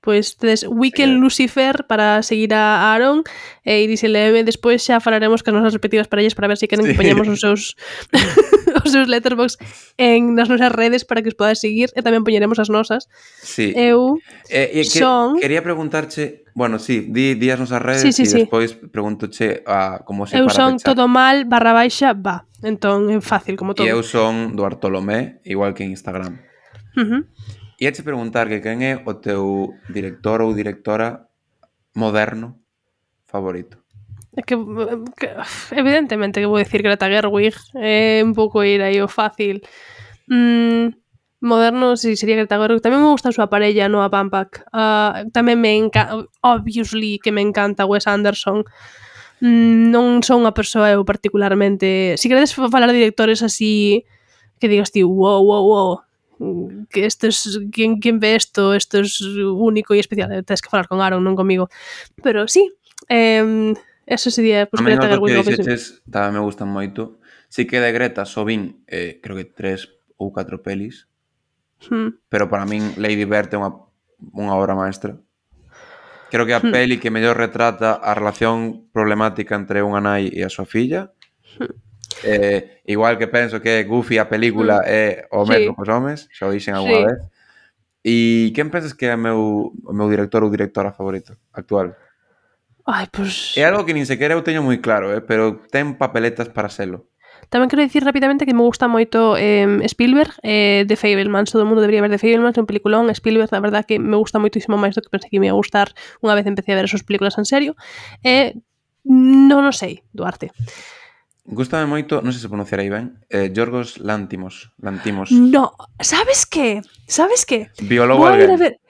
[SPEAKER 2] Pois tedes Weekend Lucifer para seguir a Aaron e Iris LM. Despois xa falaremos con as nosas respectivas parellas para ver se queren que poñamos os seus os seus Letterboxd nas nosas redes para que os podas seguir e tamén poñeremos as nosas.
[SPEAKER 3] Sí.
[SPEAKER 2] Eu
[SPEAKER 3] quería preguntarche, bueno, di as nosas redes e despois preguntoche como se para
[SPEAKER 2] eu son
[SPEAKER 3] pechar.
[SPEAKER 2] todo mal /va. Entón é fácil como todo.
[SPEAKER 3] E eu son Duartolomé, igual que en Instagram. E eche preguntar que quen é o teu director ou directora moderno favorito.
[SPEAKER 2] É que evidentemente que vou dicir Greta Gerwig, é un pouco ir aí o fácil. Moderno, si sería Greta Gerwig. Tamén me gusta a súa parella, Noah Baumbach. Tamén me encanta, obviously, que me encanta Wes Anderson. Non son unha persoa eu particularmente... Si queredes falar de directores así que digas ti, wow, que esto es, ¿quién ve esto? Esto es único e especial. Tens que falar con Aaron, non comigo. Pero sí, eso sería pues,
[SPEAKER 3] Greta Gerwig. A mí os que dixeches tamén me gustan moito. Si que de Greta só vin, creo que 3 ou 4 pelis, pero para min Lady Bird é unha obra maestra. Creo que a peli que mellor retrata a relación problemática entre unha nai e a súa filla. Igual que penso que Goofy a película é o mesmo cos homes, xa o dixen alguna vez. E quen pensas que é o meu director ou directora favorito actual? É algo que nin sequera eu teño moi claro, pero ten papeletas para selo.
[SPEAKER 2] Tamén quero dicir rapidamente que me gusta moito Spielberg, The Fabelmans. Todo o mundo debería ver The Fabelmans, un peliculón. Spielberg, la verdad que me gusta moitísimo máis do que pensei que me ia gustar unha vez empecé a ver as súas películas en serio. Non o sei, Duarte.
[SPEAKER 3] Gústame moito, non sei se pronunciarei ben, Yorgos Lantimos.
[SPEAKER 2] No, sabes que?
[SPEAKER 3] Biólogo alguén. Vale.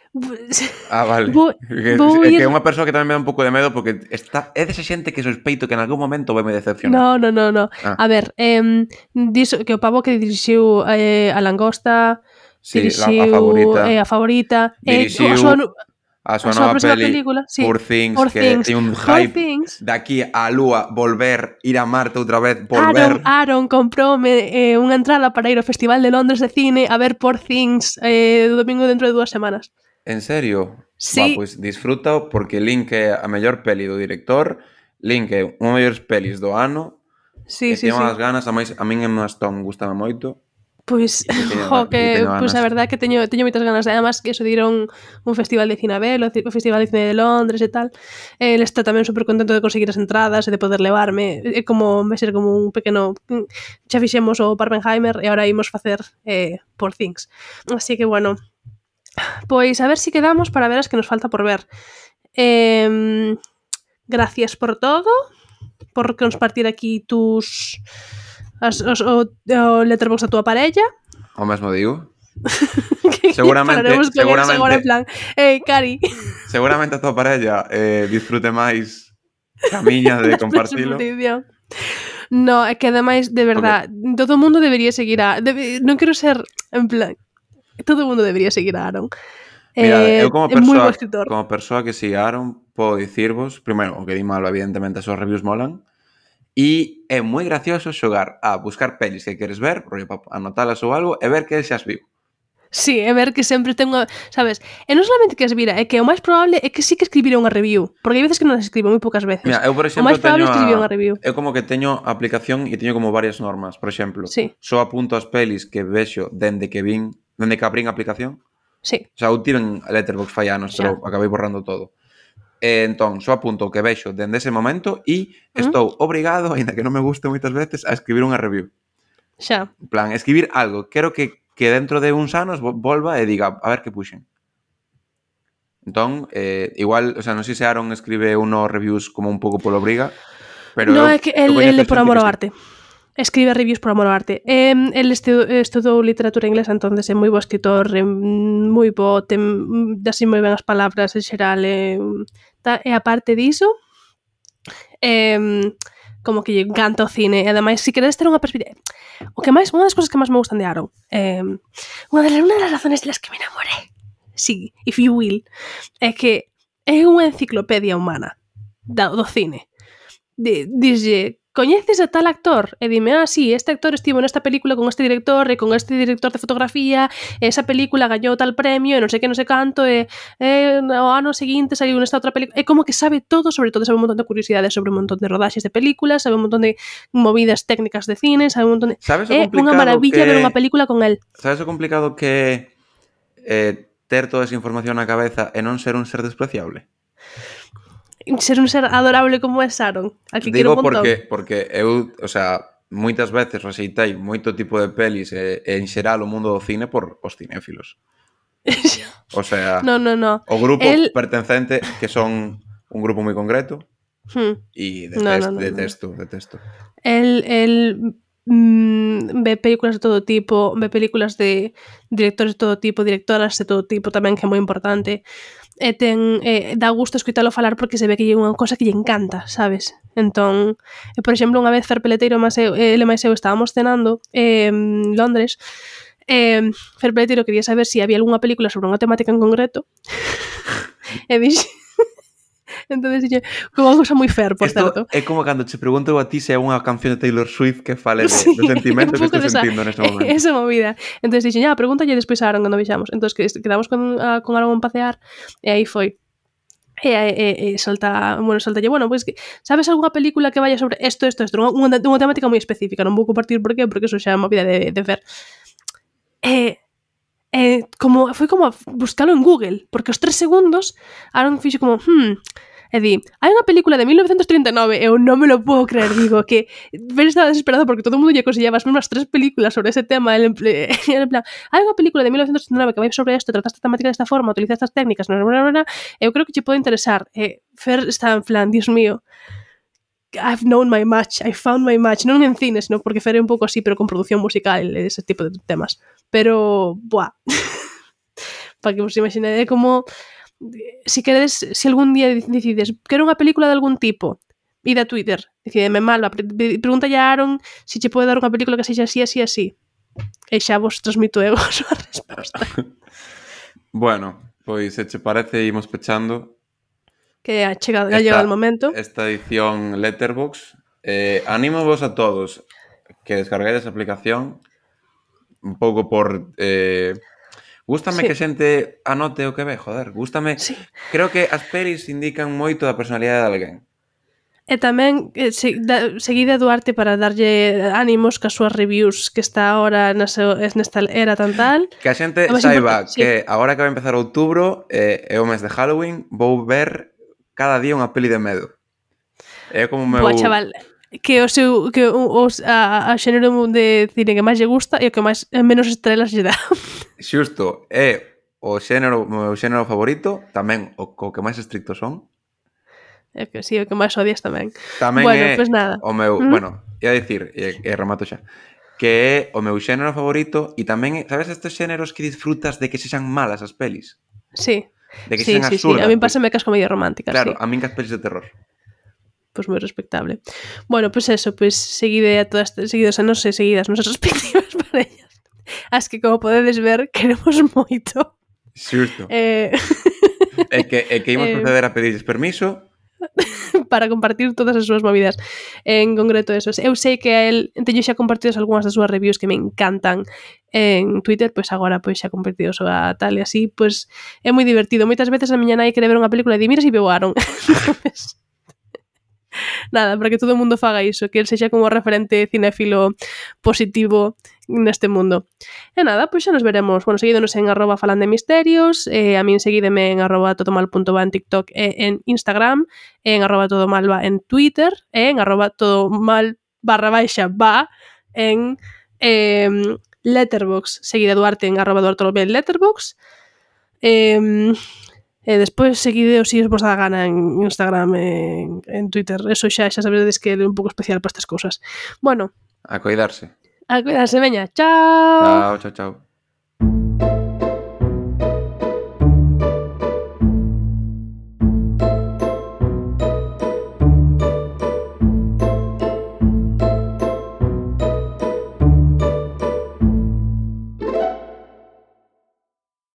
[SPEAKER 3] É que é unha persoa que tamén me dá un pouco de medo porque é desa xente que sospeito que en algún momento vai me decepcionar.
[SPEAKER 2] No. A ver, diso que o pavo que dirixiu a Langosta, dirixiu a Favorita,
[SPEAKER 3] dirixiu a súa nova película, Poor Things, que ten un hype de aquí á Lúa, volver, ir a Marte outra vez, volver.
[SPEAKER 2] Aaron comproume unha entrada para ir ao Festival de Londres de Cine a ver Poor Things o domingo dentro de 2 semanas.
[SPEAKER 3] En serio?
[SPEAKER 2] Sí.
[SPEAKER 3] Pois disfrútao porque Link é a mellor peli do director, Link é unha mellores pelis do ano,
[SPEAKER 2] Sí.
[SPEAKER 3] Ten unhas ganas, a min Emma Stone gustame moito.
[SPEAKER 2] Pois, pois a verdade é que teño moitas ganas. Además, que eso dieron un festival de cine a ver, o festival de cine de Londres e tal. Ele está tamén super contento de conseguir as entradas e de poder levarme. É como, vai ser como un pequeno... Xa fixemos o Barbenheimer e agora imos facer Poor Things. Así que, bueno, pois a ver si quedamos para ver as que nos falta por ver. Gracias por todo, por compartir aquí o letterbox da túa parella.
[SPEAKER 3] O mesmo digo. Seguramente
[SPEAKER 2] agora en plan, Cari.
[SPEAKER 3] Seguramente a túa parella disfrute máis a miña de compartilo.
[SPEAKER 2] No, é que ademais, de verdad, todo o mundo debería seguir non quero ser, en plan, todo o mundo debería seguir a Aaron.
[SPEAKER 3] Mira, eu como persoa que siga a Aaron, podo dicirvos, primeiro, o que di malo, evidentemente, as súas reviews molan, e é moi gracioso xogar a buscar pelis que queres ver, rollo para anotalas ou algo, e ver que xa as viu.
[SPEAKER 2] Sí, é ver que sempre ten unha... Sabes? E non solamente que as vira, é que o máis probable é que sí que escribira unha review. Porque hai veces que non as escribo, moi poucas veces.
[SPEAKER 3] Mira, eu, por exemplo,
[SPEAKER 2] o máis probable é escribir unha review.
[SPEAKER 3] Eu como que teño a aplicación e teño como varias normas. Por exemplo,
[SPEAKER 2] sí.
[SPEAKER 3] Só apunto as pelis que vexo dende que abrín a aplicación.
[SPEAKER 2] Sí.
[SPEAKER 3] O sea, eu tiven Letterboxd fai anos, pero acabei borrando todo. Entón, só apunto o que vexo dende ese momento e estou obrigado, aínda que non me guste moitas veces, a escribir unha review.
[SPEAKER 2] Xa.
[SPEAKER 3] En plan, escribir algo. Quero que dentro de uns anos volva e diga, a ver que puxen. Entón, igual, o sea, non sei se Aaron escribe unos reviews como un pouco polo obriga, pero
[SPEAKER 2] no, é que el por amor ao arte. Escribe reviews por amor ao arte. El estudou literatura inglesa, entonces é moi bo escritor, moi bo, así moi ben as palabras en xeral, e aparte diso, como que lle encanta o cine, e ademais, se queredes ter unha perspectiva, unha das cosas que máis me gustan de Aaron, unha das razones de las que me enamoré, sí, if you will, é que é unha enciclopedia humana do cine. Dixlle, coñeces a tal actor? E dime, sí, este actor estivo nesta película con este director e con este director de fotografía, e esa película gañou tal premio e non sei que, non sei canto, e o ano seguinte saiu nesta outra película. É como que sabe todo, sobre todo sabe un montón de curiosidades sobre un montón de rodaxes de películas, sabe un montón de movidas técnicas de cine, sabe un montón de... É unha maravilla ver unha película con el.
[SPEAKER 3] Sabes o complicado que ter toda esa información na cabeza e non ser un ser despreciable?
[SPEAKER 2] Ser un ser adorable como é Aaron.
[SPEAKER 3] Digo porque eu, o sea, moitas veces rexeitei moito tipo de pelis e en xeral o mundo do cine por os cinéfilos. O sea,
[SPEAKER 2] no.
[SPEAKER 3] O grupo pertencente, que son un grupo moi concreto, e detesto.
[SPEAKER 2] El ve películas de todo tipo, ve películas de directores de todo tipo, directoras de todo tipo tamén, que é moi importante. E dá gusto escoitalo falar porque se ve que é unha cosa que lle encanta, sabes? Entón, por exemplo, unha vez Fer Peleteiro ele máis eu estábamos cenando en Londres, Fer Peleteiro quería saber se había algunha película sobre unha temática en concreto e dixe entonces dixe, como unha cosa moi Fer, por certo.
[SPEAKER 3] É como cando te pregunto a ti se é unha canción de Taylor Swift que fale do sentimento que estou sentindo neste momento.
[SPEAKER 2] Esa movida. Entonces dixe, pregúntalle despois a Aaron cando vexamos. Entonces quedamos con Aaron a pasear e aí foi. E soltalle, pois que sabes algunha película que vaya sobre isto, unha temática moi específica, non vou compartir por qué, porque eso xa é unha vida de Fer. Foi como buscalo en Google, porque os 3 segundos Aaron fixe como, e di, hai unha película de 1939, eu non me lo puedo creer, digo, que Ben estaba desesperado porque todo o mundo lle consellaba as mesmas 3 películas sobre ese tema, en plan, hai unha película de 1939 que vai sobre isto, trata esta temática desta forma, utiliza estas técnicas, eu creo que che pode interesar. Fer está en plan, Dios mío, I've known my match, I found my match, non en cine, sino porque Fer é un pouco así, pero con produción musical, ese tipo de temas. Pero, para que vos imaginade como... Si queredes, se algún día decides quero unha película de algún tipo, ide a Twitter, decideme Malva, pregúntalle a Aaron se che pode dar unha película que sexa así, e xa vos transmito eu a súa resposta.
[SPEAKER 3] Bueno, pois se che parece imos pechando
[SPEAKER 2] que ha chegado o momento
[SPEAKER 3] esta edición Letterboxd. Animo vos a todos que descarguedes a aplicación un pouco por... Gústame que xente anote o que ve, joder, gústame. Sí. Creo que as pelis indican moito da personalidade de alguén.
[SPEAKER 2] E tamén seguide a Duarte para darlle ánimos cas súas reviews que está ahora nesta era tan tal.
[SPEAKER 3] Que a xente saiba que agora que vai empezar outubro é o mes de Halloween, vou ver cada día unha peli de medo. É como o meu...
[SPEAKER 2] Boa, chaval, que a xénero de cine que máis lle gusta e o que máis menos estrelas lle dá.
[SPEAKER 3] Xusto, é o meu xénero favorito, tamén o que máis estricto son.
[SPEAKER 2] É que sí, o que máis odias tamén.
[SPEAKER 3] Tamén
[SPEAKER 2] bueno,
[SPEAKER 3] é
[SPEAKER 2] pues nada.
[SPEAKER 3] o meu... Bueno, ia dicir, e remato xa, que é o meu xénero favorito e tamén, sabes, estes xéneros que disfrutas de que sexan malas as pelis?
[SPEAKER 2] Sí.
[SPEAKER 3] De que sexan absurdas.
[SPEAKER 2] A min pásame cas comedias románticas,
[SPEAKER 3] claro,
[SPEAKER 2] sí.
[SPEAKER 3] a min cas pelis de terror.
[SPEAKER 2] Pues moi respectable. Bueno, pues eso, pues seguide a todas, seguidos a non sei, seguidas nosas respectivas parellas. As que, como podedes ver, queremos moito.
[SPEAKER 3] Xusto. E que imos proceder a pedirles permiso
[SPEAKER 2] para compartir todas as súas movidas. En concreto eso. Eu sei que a él teño xa compartidos algunhas das súas reviews que me encantan en Twitter, pois agora pois xa compartidos a tal e así, pois é moi divertido. Moitas veces a miña nai quere ver unha película e di, mira se veo Aaron. Nada, para que todo o mundo faga iso, que el sexa como referente cinéfilo positivo neste mundo. E nada, pois xa nos veremos. Bueno, seguídonos en @falandemisterios, a min seguídeme en @todomal.va en TikTok e en Instagram, en @todomalva en Twitter e en @todomal_va en Letterboxd. Seguide a Duarte en @duartolomé en Letterboxd. E despois seguide os vos dá gana en Instagram en Twitter. Eso xa sabedes que é un pouco especial para estas cousas. Bueno.
[SPEAKER 3] A cuidarse.
[SPEAKER 2] A cuidarse, veña. Chao.
[SPEAKER 3] Chao.